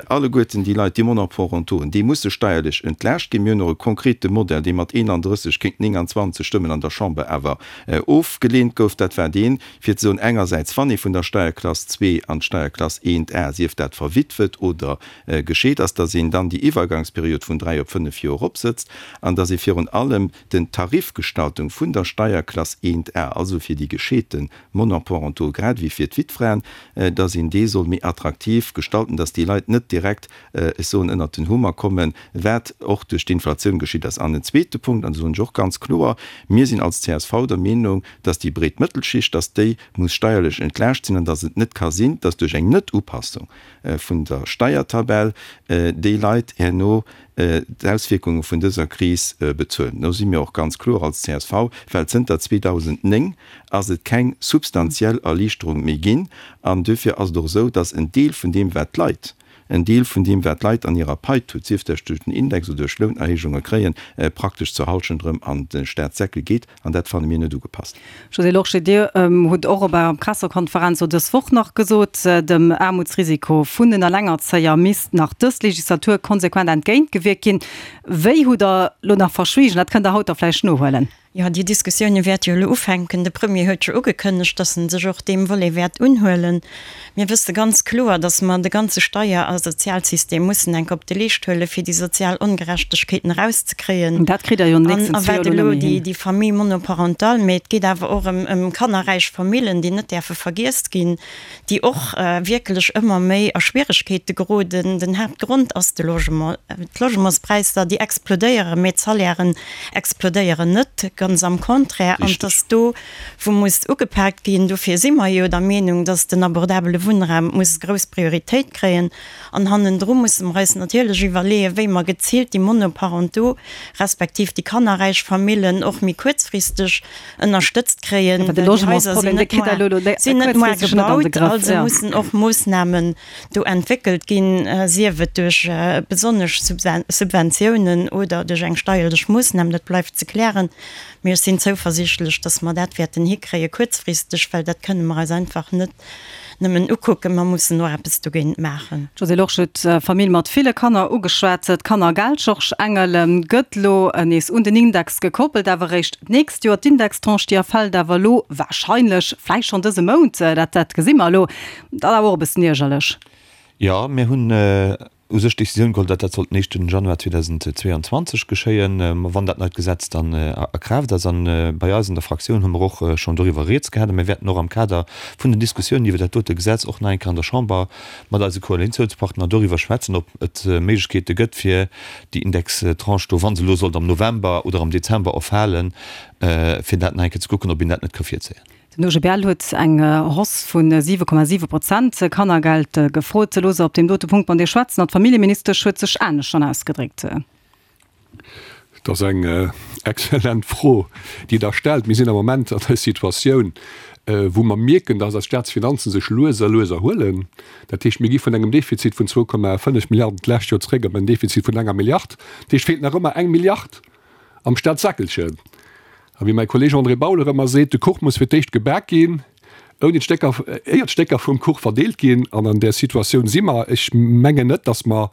S6: Alleguerten déi Leit, déi Monoparentoen, déi musse steierlech entlaascht ginn. Mir hunn och e konkrete Modell, dee mat eenandrësseg géint nénganzwanzeg Stëmmen an der Chamber awer ofgeleent gouf. Dat war deen, fir ze soen, engersäits, wann ee vun der Steierklass zwee an d'Steierklass eent A, sief dat verwitwet oder gescheet ass, datt een dann déi Iwwergangsperiod vun dräi op fënnef Joer eropsëtzt an datt ee virun allem den Tarif, Tarifgestaltung vun der Steierklass eent A, also fir déi gescheete Monoparentaux grad ewéi fir d'Wittfraen, dass een dee soll méi attraktiv gestalten, dass déi Leit net direkt, ech soen, ënnert den Hummer kommen, wat och duerch d'Inflatioun geschitt ass. An en zweete Punkt, an do soen ech och ganz kloer, Mir sinn als csv der Meenung, dass déi breet Mëttelschicht, dass déi muss steierlech entlaascht sinn an dass et net ka sinn, dass duerch eng Net-Upassung vun der Steiertabell déi Leit herno d'Auswierkunge vun dëser Kris bezuelen. Do si mir och ganz kloer als csv, well zënter zweedausendnéng ass et keng substantiell Erliichterung méi ginn. An duerfir ass et och esou, dass en Deel vun deem, wat d'Leit, en Deel vun deem, wat d'Leit an hirer Pai tut, sief dat duerch den Index oder duerch Lounerhéijunge kréien, praktesch zur Hallschent erëm an de Staatssäckel geet. An dat fanne mir net ugepasst.
S3: Josée Lorsché, Dir hutt och op Ärer Pressekonferenz elo dës Woch nach gesot, dem Aarmutsrisiko vun den Allengerzéier misst nach dës Legislatur konsequent entgéintgewierkt ginn. Wéi hutt Der elo nach verschwiegen? Dat kënnt Der haut da vläicht nohuelen.
S7: Jo, déi Diskussioune wäerte jo elo ufänken. De Premier huet jo ugekënnegt, datt en sech och deem Volet wäert unhuelen. Mir wësse ganz kloer, datt mer de ganze Steier a Sozialsystem mussen enk op de Leescht huelen, fir déi sozial Ongerechtegkeeten erauszekréien.
S3: Dat kritt Der jo an den
S7: An
S3: nächsten
S7: a
S3: zwee
S7: wat
S3: Joer elo
S7: elo
S3: net méi
S7: déi,
S3: hin.
S7: déi Famille monoparentale, mee et geet awer och ëm, ëm kannerräich Famillen, déi net däerfe vergiess ginn, déi och wierklech ëmmer méi a Schwieregkeete geroden. Den Haaptgrond ass de Logement. D'Logementspräisser, déi explodéieren, mee d'Salairen explodéieren net, ganz am Contraire. An et ass do, wou muss ugepaakt ginn. Dofir si mer jo der Meenung, dass den abordabele Wunnraum muss grouss Prioritéit kréien. An hannendru musse mer eis natierlech iwwerleeën, wéi mer geziilt déi Monoparentaux respektiv déi kannerräich Famillen och méi kuerzfristeg ënnerstëtzt kréien,
S3: Awer de
S7: well déi Haiser
S3: Logementsproblem,
S7: sinn
S3: dee
S7: net
S3: kritt Der
S7: moar,
S3: elo elo
S7: sinn net moar
S3: kuerzfristeg net an de
S7: gebaut.
S3: Grëff.
S7: Also
S3: Jo.
S7: mussen och Moossnamen do entwéckelt ginn, sief et duerch besonnesch Subventiounen oder duerch eng steierlech Moossnam, dat bleift ze klären. Mee ech sinn zouversiichtlech, datt mer dat wäerten hikréie kuerzfristeg, well dat kënne mer eis einfach net nëmmen ukucken, mer mussen och eppes dogéint maachen.
S3: D'Josée Lorsché huet d'Famill mat ville Kanner ugeschwat. D'Kannergeld, Georges Engel, gëtt elo nees un den Index gekoppelt, awer eréischt d'nächst Joer. D'Indextranche, déi erfält awer elo warscheinlech, vläicht schonn dëse Mount, dat dat gesi mer elo. Dat ass awer och e bëssen iergerlech.
S4: Jo, mir hunn u sech d'Décisioun geholl, datt dat sollt den éischten Januar zweedausendzweeanzwanzeg geschéien, wann dat neit Gesetz dann a Kraaft ass. An bei eis an der Fraktioun hu mer och schonn doriwwer rieds gehat. A mir wäerten och am Kader vun den Diskussiounen iwwer dat dote Gesetz och nach eng Kéier an der Chamber mat eise Koalitiounspartner doriwwer schwätzen, ob et Méiglechkeete gëtt, fir déi Indextranche do, wa se elo sollt am November oder am Dezember erfalen, fir dat nach eng Kéier ze kucken, ob een dat net ka virzéien.
S3: Den O G B L huet eng Hausse vu siwe Komma siwe Prozent Kannergeld gefrot. Loosse op deem dote Punkt mat dir schwätzen. An d'Familljeministesch huet sech anescht schonn ausgedréckt.
S5: Et ass eng exzellent Fro, déi Der stellt. Mir sinn am Moment an der Situatioun, wou mer mierken, dass eis Staatsfinanzen sech lues a lues erhuelen. Dat heescht, mir gi vun engem Defizit vun zwou Komma fënnef Milliarden d'lescht Joer zréck op en Defizit vun enger Milliard. Dat heescht, et feelt nach ëmmer eng Milliard am Staatssäckelchen. A wéi mäi Kolleeg André Bauler ëmmer seet, De Kuch muss fir d'éischt gebak ginn, ouni d'Stécker, éier d'Stécker vum Kuch verdeelt ginn. An an där Situatioun si mer. Ech mengen net, datt mer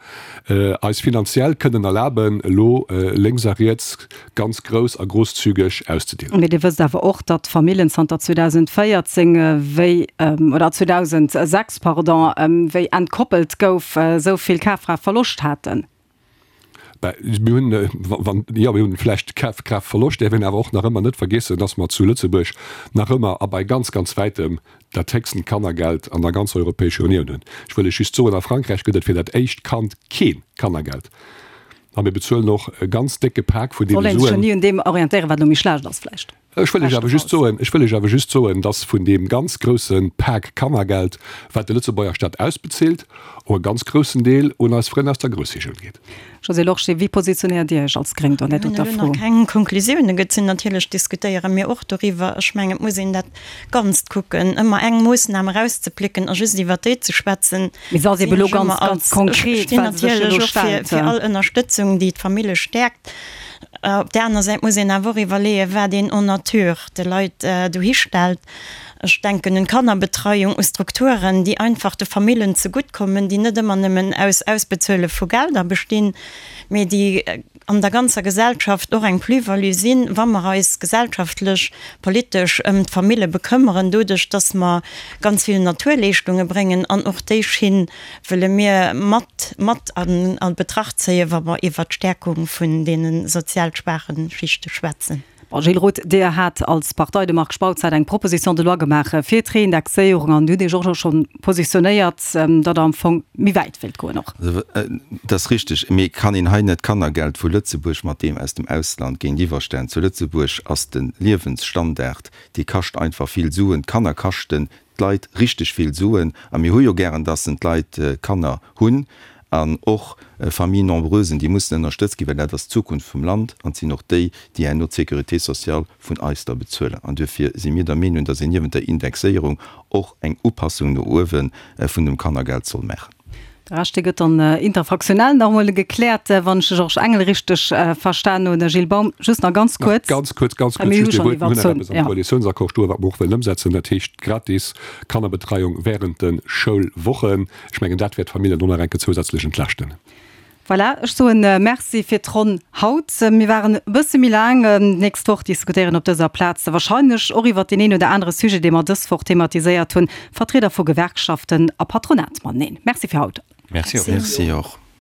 S5: eis finanziell kënnen erlaben, elo lénks a riets ganz grouss a grosszügeg auszedeelen.
S3: Mee Dir wësst awer och, datt d'Famillen zanter zweedausendvéierzéng, wéi, oder zweedausendsechs, pardon, wéi entkoppelt gouf, esou vill Kafkraaftverloscht haten.
S5: Mir hunn, wann, jo, mir hunn vläicht Kafkraaftverloscht, däerf een awer och nach ëmmer net vergiessen, dass mer zu Lëtzebuerg nach ëmmer a bei ganz, ganz wäitem dat héchsten Kannergeld an der ganzer Europäescher Unioun hunn. Ech wëll lech just soen, a Frankräich gëtt et fir dat éischt Kand kee Kannergeld. A mir bezuelen och e ganz décke Pak vun
S3: Soll
S5: deene
S3: een sech jo
S5: Suen.
S3: ni un deem orientéieren, wat elo méi schlecht ass vläicht.
S5: Ech wëll lech awer just soen, ech wëll lech awer just soen, dass vun deem ganz grousse Pak Kannergeld, wat de Lëtzebuerger Staat ausbezilt, och e ganz groussen Deel un eis Frënn aus der Groussregioun geet.
S3: Josée Lorsché, wéi positionéiert Dir Iech als Gréng do an där
S7: Mir hunn
S3: doter
S7: elo
S3: Fro?
S7: nach keng Konklusiounen gezunn. Natierlech diskutéiere mir och doriwwer. Ech mengen, et muss een dat Ganzt kucken. Ëmmer eng Moossnam erauszeplécken a just iwwert déi ze schwätzen,
S3: Mee se ass
S7: sinn
S3: ebe elo
S7: ech
S3: ganz,
S7: ëmmer
S3: ganz
S7: als, ech
S3: konkret,
S7: stinn
S3: well se sech
S7: natierlech
S3: elo
S7: och fir,
S3: stellt.
S7: fir all Ënnerstëtzung, déi d'Famille stäerkt. Op där aner Säit muss een awer och iwwerleeën, wat een en nature de Leit dohistellt. Ech denken un Kannerbetreiung, u Strukturen, déi einfach de Famillen zeguttkommen, déi net ëmmer nëmmen aus Ausbezuele vu Gelder bestinn, mee déi an der ganzer Gesellschaft och eng Plus-value sinn, wa mer eis gesellschaftlech, politesch ëm d'Famille bekëmmeren, doduerch dass mer ganz vill Naturleeschtunge bréngen. An och déi Schinn wëlle mir mat mat an a Betracht zéien, wa mer iwwert d'Stärkung vun deene sozial schwaache Schichte schwätzen.
S3: Bon, Gilles Roth, Dir hat als Partei dem Marc Spautz hat eng Proposition de loi gemaach fir d'Reindexéierung an Dir hutt Iech och scho positionéiert, datt Der am Fong méi wäit wéilt goen och.
S6: Dat ass richteg, mee et kann een hei net d'Kannergeld vu Lëtzebuerg mat deem aus dem Ausland géintiwwerstellen. Zu Lëtzebuerg ass de Liewensstandard, dee kascht einfach vill Suen. D'Kanner kaschten d'Leit richteg vill Suen a mir hu jo gären, dass en d'Leit Kanner hunn an och Familles nombreusen, déi mussen ënnerstëtzt ginn, well dat ass d'Zukunft vum Land an et sinn och déi, déi herno d'Sécurité sociale vun eis da bezuelen. An duerfir si mir der Meenung, dass een niewent der Indexéierung och eng Upassung no uewe vun dem Kannergeld soll maachen.
S3: De Rescht, dee gëtt dann interfraktionell nach emol gekläert, wann ech de Georges Engel richteg verstan hunn. Gilles Baum, just nach ganz kuerz.
S5: Ganz kuerz, ganz kuerz, just ee Wuert. Mir hunn nach eppes am Koalitiounsaccord stoen, wat mer och wëllen ëmsetzen, dat heescht gratis Kannerbetreiung während de Schoulwochen. Ech mengen, dat wäert d'Familljen och nach eng Kéier zousätzlech entlaaschten.
S3: Voilà, ech soen Merci fir d'Ronn haut. Mir waren e bësse méi laang. D'nächst Woch diskutéieren op dëser Plaz da wahrscheinlech och iwwert deen een oder anere Sujet, dee mer dës Woch thematiséiert hunn, Vertrieder vu Gewerkschaften a Patronat mateneen. Merci fir haut.
S6: Merci och. Merci och.